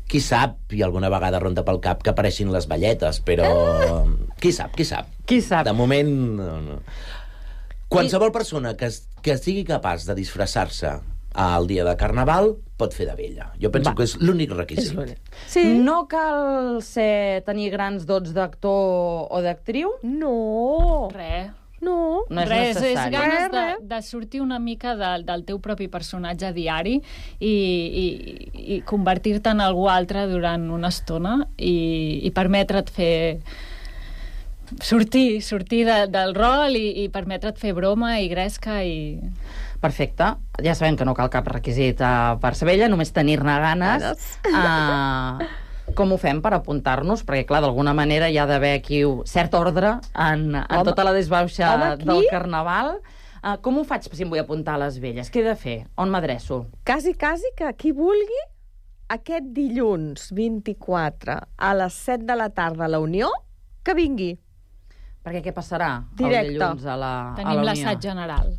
Qui sap, i alguna vegada ronda pel cap, que apareixin les velletes, però... Qui sap, qui sap. Qui sap. De moment... No, no. Qualsevol persona que, es- que sigui capaç de disfressar-se al dia de Carnaval pot fer de vella. Jo penso Va. que és l'únic requisit. Sí. No cal ser, tenir grans dots d'actor o d'actriu? No. Res. No. No és Res, és necessari. ganes de, Res, de sortir una mica de, del teu propi personatge diari i, i, i convertir-te en algú altre durant una estona i, i permetre't fer sortir, sortir de, del rol i, i permetre't fer broma i gresca i... Perfecte. Ja sabem que no cal cap requisit uh, per ser vella, només tenir-ne ganes. Uh, com ho fem per apuntar-nos? Perquè, clar, d'alguna manera hi ha d'haver aquí un cert ordre en, en Home. tota la desbauxa Home, aquí? del Carnaval. Uh, com ho faig si em vull apuntar a les velles? Què he de fer? On m'adreço? Quasi, quasi que qui vulgui aquest dilluns vint-i-quatre a les set de la tarda a la Unió, que vingui. Perquè què passarà Directe. el dilluns a la, a Tenim la l'assaig Unió? general.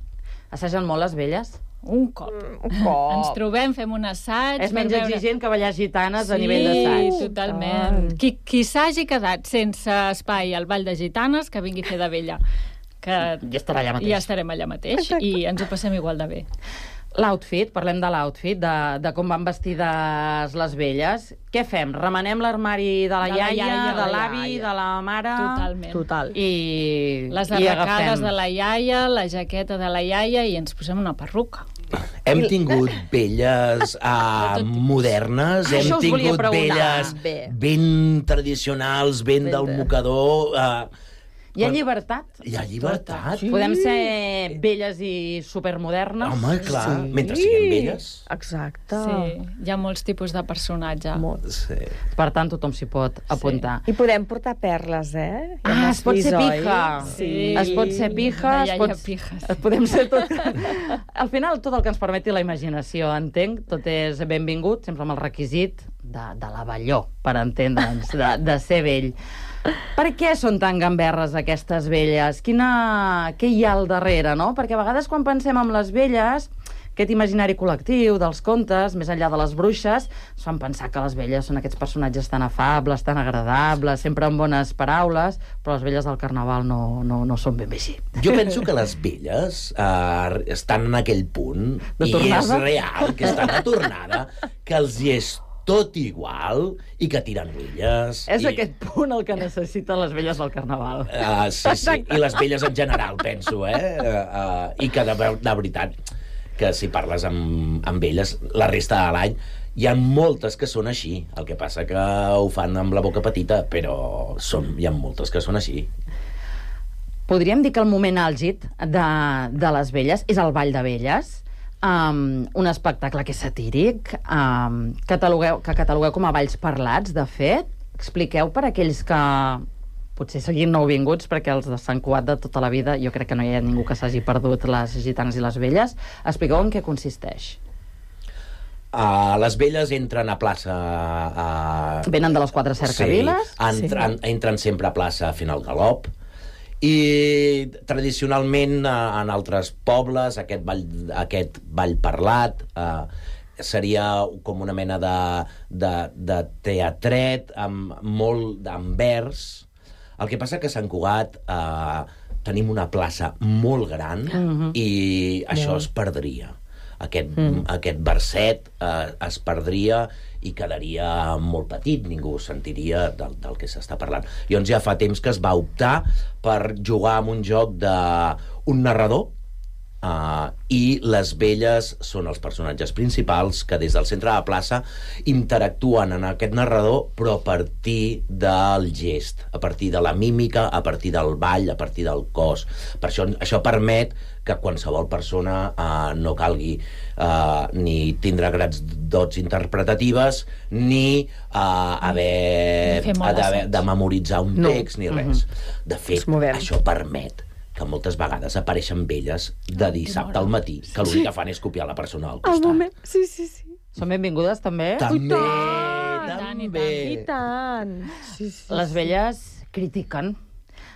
Assagen molt les velles? Un cop. Un cop. Ens trobem, fem un assaig... És menys per veure- exigent que ballar gitanes sí, a nivell d'assaig. Sí, totalment. Qui, qui s'hagi quedat sense espai al Ball de Gitanes, que vingui a fer de vella. Que ja estarà allà mateix. Ja estarem allà mateix. Exacte. I ens ho passem igual de bé. L'outfit, parlem de l'outfit, de, de com van vestides les velles. Què fem? Remenem l'armari de la De la iaia, iaia, de de la l'avi, iaia. de la mare... Totalment. Total. I, Les i arracades agafem. de la iaia, la jaqueta de la iaia i ens posem una perruca. Hem tingut velles uh, modernes, Ah, hem això us volia tingut preguntar. velles Bé. ben tradicionals, ben del mocador... Uh, Hi ha llibertat? Hi ha llibertat. Sí. Podem ser velles i supermodernes? Home, clar, sí. Mentre siguem velles. Exacte. Sí, hi ha molts tipus de personatge. Sí. Per tant, tothom s'hi pot apuntar. I podem portar perles, eh? Ja Ah, m'has es pot vist, ser oi? pija. Sí. Es pot ser pija, De es iaia pot... pijes. Es podem ser tot... Al final, tot el que ens permeti la imaginació, entenc, tot és benvingut, sempre amb el requisit de, de l'avelló, per entendre'ns, de, de ser vell. Per què són tan gamberres aquestes velles? Quina... Què hi ha al darrere, no? Perquè a vegades quan pensem en les velles, aquest imaginari col·lectiu dels contes, més enllà de les bruixes, ens fan pensar que les velles són aquests personatges tan afables, tan agradables, sempre amb bones paraules, però les velles del carnaval no, no, no són ben bé així. Jo penso que les velles uh, estan en aquell punt, De i tornada? és real, que estan a tornada, que els hi és tot igual i que tiren velles. És i... aquest punt el que necessiten les velles del carnaval. Uh, sí, sí, i les velles en general, penso, eh? Uh, uh, I que de, de veritat, que si parles amb, amb elles la resta de l'any, hi ha moltes que són així. El que passa que ho fan amb la boca petita, però són, hi ha moltes que són així. Podríem dir que el moment àlgid de, de les velles és el Ball de Velles, um, un espectacle que és satíric, um, catalogueu, que catalogueu com a balls parlats, de fet. Expliqueu per aquells que potser siguin nouvinguts, perquè els de Sant Cugat de tota la vida, jo crec que no hi ha ningú que s'hagi perdut les gitanes i les velles. Expliqueu en què consisteix. Uh, les velles entren a plaça... Uh, Venen de les quatre cercaviles? Sí, entren, sí. entren sempre a plaça fent el galop. I tradicionalment en altres pobles aquest ball, aquest ball parlat eh, seria com una mena de, de, de teatret amb molt amb vers. El que passa que a Sant Cugat eh, tenim una plaça molt gran Mhm. i això Molt. es perdria. Aquest, Mm. aquest verset eh, es perdria i quedaria molt petit, ningú sentiria del, del que s'està parlant. Llavors ja fa temps que es va optar per jugar amb un joc d'un narrador, Uh, i les velles són els personatges principals que des del centre de la plaça interactuen en aquest narrador, però a partir del gest, a partir de la mímica, a partir del ball, a partir del cos. Per això, això permet que qualsevol persona uh, no calgui uh, ni tindre grans dots interpretatives ni uh, haver, Fer molt haver assaig. de memoritzar un No. text ni res. Mhm. De fet, això permet que moltes vegades apareixen velles de dissabte al matí, que l'únic que fan és copiar la persona al Al costat. moment... Sí, sí, sí. Són benvingudes, també? També, també. I tant. Sí, sí, Les sí. velles critiquen.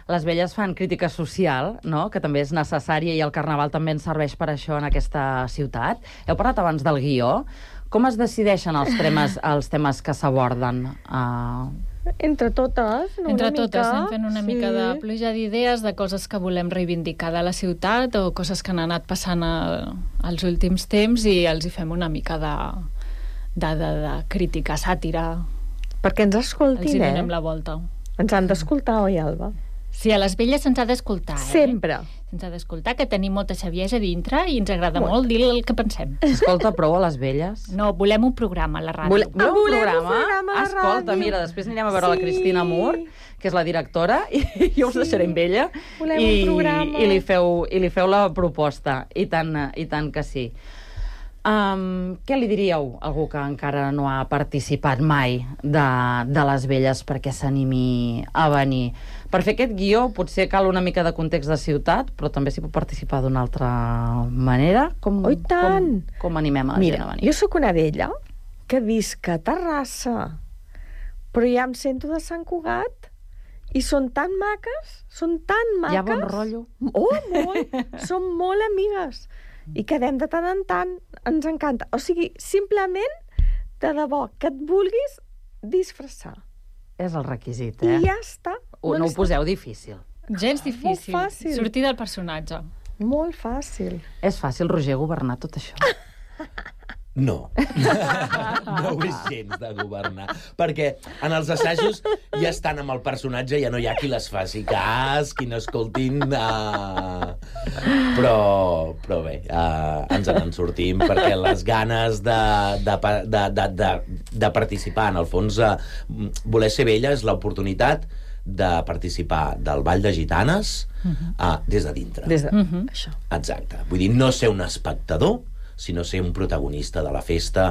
Les velles fan crítica social, no?, que també és necessària, i el carnaval també ens serveix per això en aquesta ciutat. Heu parlat abans del guió. Com es decideixen els temes, els temes que s'aborden? Uh... Entre totes, no? Entre una totes, mica. anem fent una sí. mica de pluja d'idees, de coses que volem reivindicar de la ciutat o coses que han anat passant a, als últims temps, i els hi fem una mica de, de, de, de crítica, sàtira. Perquè ens Els escoltin, hi eh? donem la volta. Ens han d'escoltar, oi, Alba? Sí, a les velles se'ns ha d'escoltar, eh? Sempre. Se'ns ha d'escoltar, que tenim molta saviesa dintre i ens agrada Molt. molt dir el que pensem. S'escolta prou a les velles? No, volem un programa a la ràdio. Vole, voleu un volem un programa? programa a la Escolta, ràdio. mira, després anirem a veure Sí. la Cristina Mur, que és la directora, i jo us deixaré amb ella. Volem i, un programa. I li, feu, I li feu la proposta. I tant, i tant que sí. Um, què li diríeu a algú que encara no ha participat mai de, de les velles perquè s'animi a venir? Per fer aquest guió potser cal una mica de context de ciutat, però també s'hi pot participar d'una altra manera. Com, Oh, i tant! Com, com animem a la Mira, gent a venir? jo sóc una vella que visc a Terrassa, però ja em sento de Sant Cugat i són tan maques, són tan maques. Hi ha bon rotllo? Oh, molt! Som molt amigues. I quedem de tant en tant, ens encanta. O sigui, simplement, de debò, que et vulguis disfressar. És el requisit, eh? I ja està. O no ho poseu difícil. Gens difícil. Molt fàcil. Sortir del personatge. Molt fàcil. És fàcil, Roger, governar tot això. No. No ho és gens de governar. Perquè en els assajos ja estan amb el personatge, ja no hi ha qui les faci cas, qui no escoltin... Uh... Però, però bé, uh, ens en sortim, perquè les ganes de, de, de, de, de, de participar, en el fons, uh, voler ser vella és l'oportunitat de participar del Ball de Gitanes uh, des de dintre. Des de... Uh-huh. Això. Exacte. Vull dir, no ser un espectador, sinó ser un protagonista de la festa,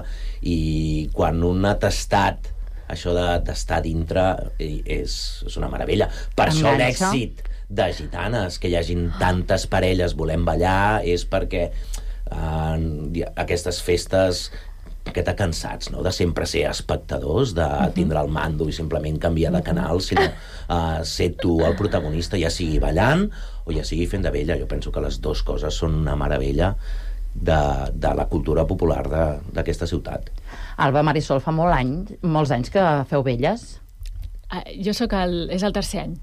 i quan un ha tastat això d'estar dintre és, és una meravella. Per això l'èxit de Gitanes, que hi hagin tantes parelles volent ballar, és perquè eh, aquestes festes que t'ha cansats, no?, de sempre ser espectadors, de tindre el mando i simplement canviar de canal, sinó uh, ser tu el protagonista, ja sigui ballant o ja sigui fent de vella. Jo penso que les dues coses són una meravella de, de la cultura popular d'aquesta ciutat. Alba, Marisol, fa molt anys, molts anys que feu velles? Uh, jo sóc el... és el tercer any.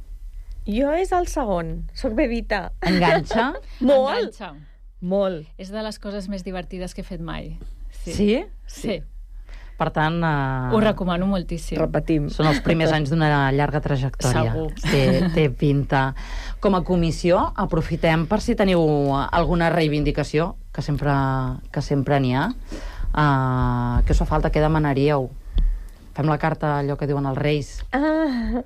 Jo és el segon. Soc bebita. Enganxa? Molt. Enganxa. Molt. És de les coses més divertides que he fet mai. Sí? Sí? Sí. Per tant... Uh... Ho recomano moltíssim. Repetim. Són els primers anys d'una llarga trajectòria. Segur. Té, té pinta. Com a comissió, aprofitem per si teniu alguna reivindicació, que sempre que sempre n'hi ha. Uh, què us fa falta? Què demanaríeu? Fem la carta, allò que diuen els reis. Ah.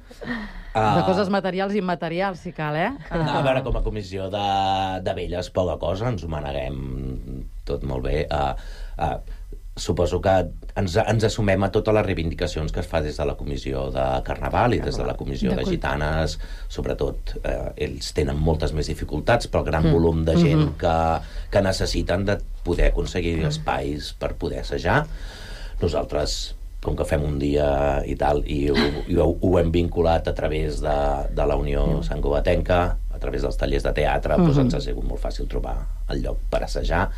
De coses materials i immaterials, si cal, eh? Uh... A veure, com a comissió de, de velles, poca cosa, ens ho maneguem tot molt bé. Uh, uh, suposo que ens, ens assumem a totes les reivindicacions que es fa des de la comissió de Carnaval i des de la comissió de Gitanes. Sobretot, eh, ells tenen moltes més dificultats pel gran volum de gent que, que necessiten de poder aconseguir espais per poder assajar. Nosaltres, com que fem un dia i tal, i ho, i ho, ho hem vinculat a través de, de la Unió Santcugatenca, a través dels tallers de teatre, doncs ens ha sigut molt fàcil trobar el lloc per assajar.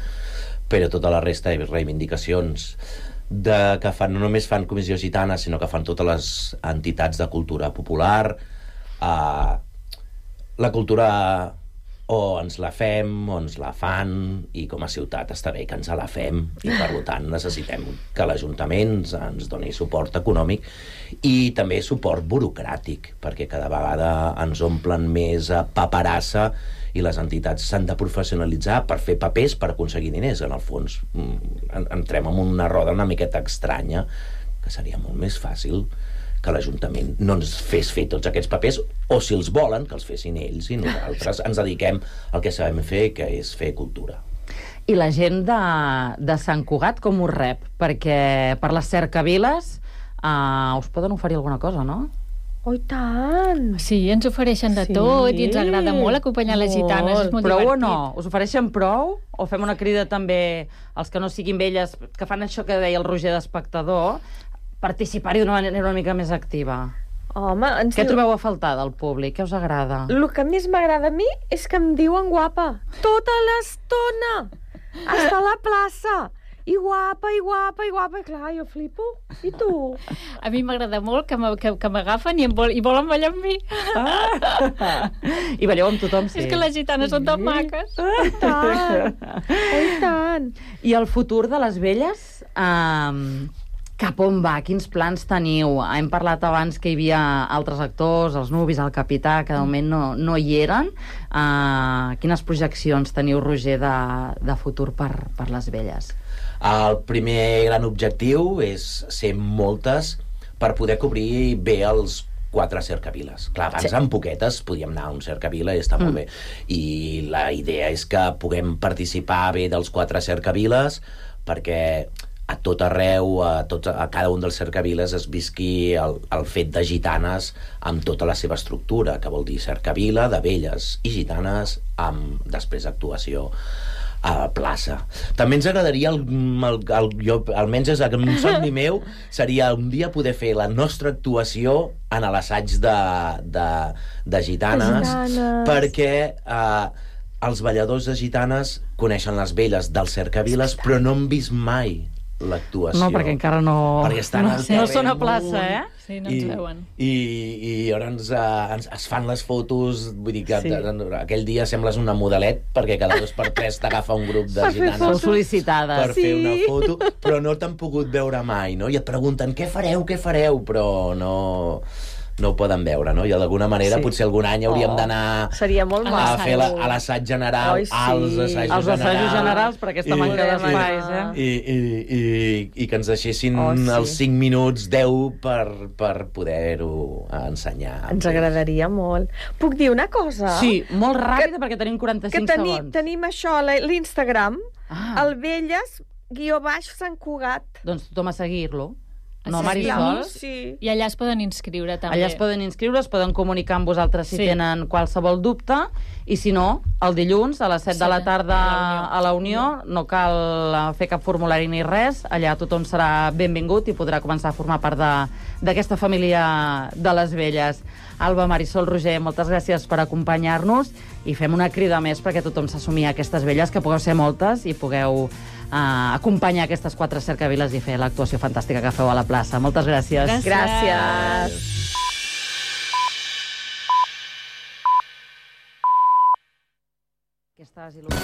Però tota la resta de reivindicacions de, que fan, no només fan Comissió Gitana, sinó que fan totes les entitats de cultura popular. Uh, la cultura o ens la fem o ens la fan, i com a ciutat està bé que ens la fem, i per tant necessitem que l'Ajuntament ens doni suport econòmic i també suport burocràtic, perquè cada vegada ens omplen més paperassa i les entitats s'han de professionalitzar per fer papers per aconseguir diners. En el fons entrem en una roda una miqueta estranya, que seria molt més fàcil que l'Ajuntament no ens fes fer tots aquests papers, o si els volen, que els fessin ells, i nosaltres ens dediquem al que sabem fer, que és fer cultura. I la gent de, de Sant Cugat com us rep? Perquè per les cercaviles uh, us poden oferir alguna cosa, no? Oh, i tant! Sí, ens ofereixen de sí. tot i ens agrada molt acompanyar les gitanes. És molt prou divertit. o no? Us ofereixen prou? O fem una crida també als que no siguin velles, que fan això que deia el Roger d'espectador, participar-hi d'una manera una mica més activa? Home, ens Què diu... trobeu a faltar del públic? Què us agrada? El que més m'agrada a mi és que em diuen guapa. Tota l'estona! Està a la plaça! I guapa, i guapa, i guapa. I clar, jo flipo. I tu? A mi m'agrada molt que m'agafen i, vol, i volen ballar amb mi. Ah. I balleu amb tothom, sí. És que les gitanes són tan maques. Oh, i tant! Oh, i tant! I el futur de les velles? Um, cap on va? Quins plans teniu? Hem parlat abans que hi havia altres actors, els Nubis, el Capità, que de moment no, no hi eren. Uh, quines projeccions teniu, Roger, de, de futur per, per les velles? El primer gran objectiu és ser moltes per poder cobrir bé els quatre cercaviles. Clar, abans sí. amb poquetes podíem anar a un cercavila i està mm. molt bé. I la idea és que puguem participar bé dels quatre cercaviles perquè a tot arreu, a, tots, a cada un dels cercaviles es visqui el, el fet de gitanes amb tota la seva estructura, que vol dir cercavila de velles i gitanes amb després actuació a plaça. També ens agradaria, el, el, el, jo, almenys és un somni meu, seria un dia poder fer la nostra actuació en l'assaig de, de, de gitanes, gitanes, perquè eh, els balladors de gitanes coneixen les velles dels cercaviles, però no han vist mai l'actuació. No, perquè encara no... Perquè estan no, al no són a terreny plaça, eh? Sí, no ens I, veuen. I, i llavors uh, ens, es fan les fotos, vull dir que Sí. sí. aquell dia sembles una modelet, perquè cada dos per tres t'agafa un grup de Per fer gitanes fotos. Sol·licitades. per Sí. fer una foto, però no t'han pogut veure mai, no? I et pregunten, què fareu, què fareu? Però no... no ho poden veure, no? I d'alguna manera Sí. potser algun any hauríem Oh, d'anar seria molt a maco. fer la, a l'assaig general, Oi, sí. als assajos Els assajos generals, generals, per aquesta manca d'espais, eh? I, i, i, i que ens deixessin Oh, sí. els cinc minuts, deu, per, per poder-ho ensenyar. Ens agradaria molt. Puc dir una cosa? Sí, molt ràpida, perquè tenim Que quaranta-cinc teni, segons. tenim això, a la- l'Instagram, Ah. el Velles, guió baix, Sant Cugat. Doncs tothom a seguir-lo. No, Sí, Marisol? Sí. I allà es poden inscriure, també. Allà es poden inscriure, es poden comunicar amb vosaltres si Sí. tenen qualsevol dubte, i si no, el dilluns a les set de la tarda a la Unió, no cal fer cap formulari ni res, allà tothom serà benvingut i podrà començar a formar part de- d'aquesta família de les Velles. Alba, Marisol, Roger, moltes gràcies per acompanyar-nos i fem una crida més perquè tothom s'assumia a aquestes velles, que pugueu ser moltes i pugueu uh, acompanyar aquestes quatre cercaviles i fer l'actuació fantàstica que feu a la plaça. Moltes gràcies. Gràcies. Gràcies.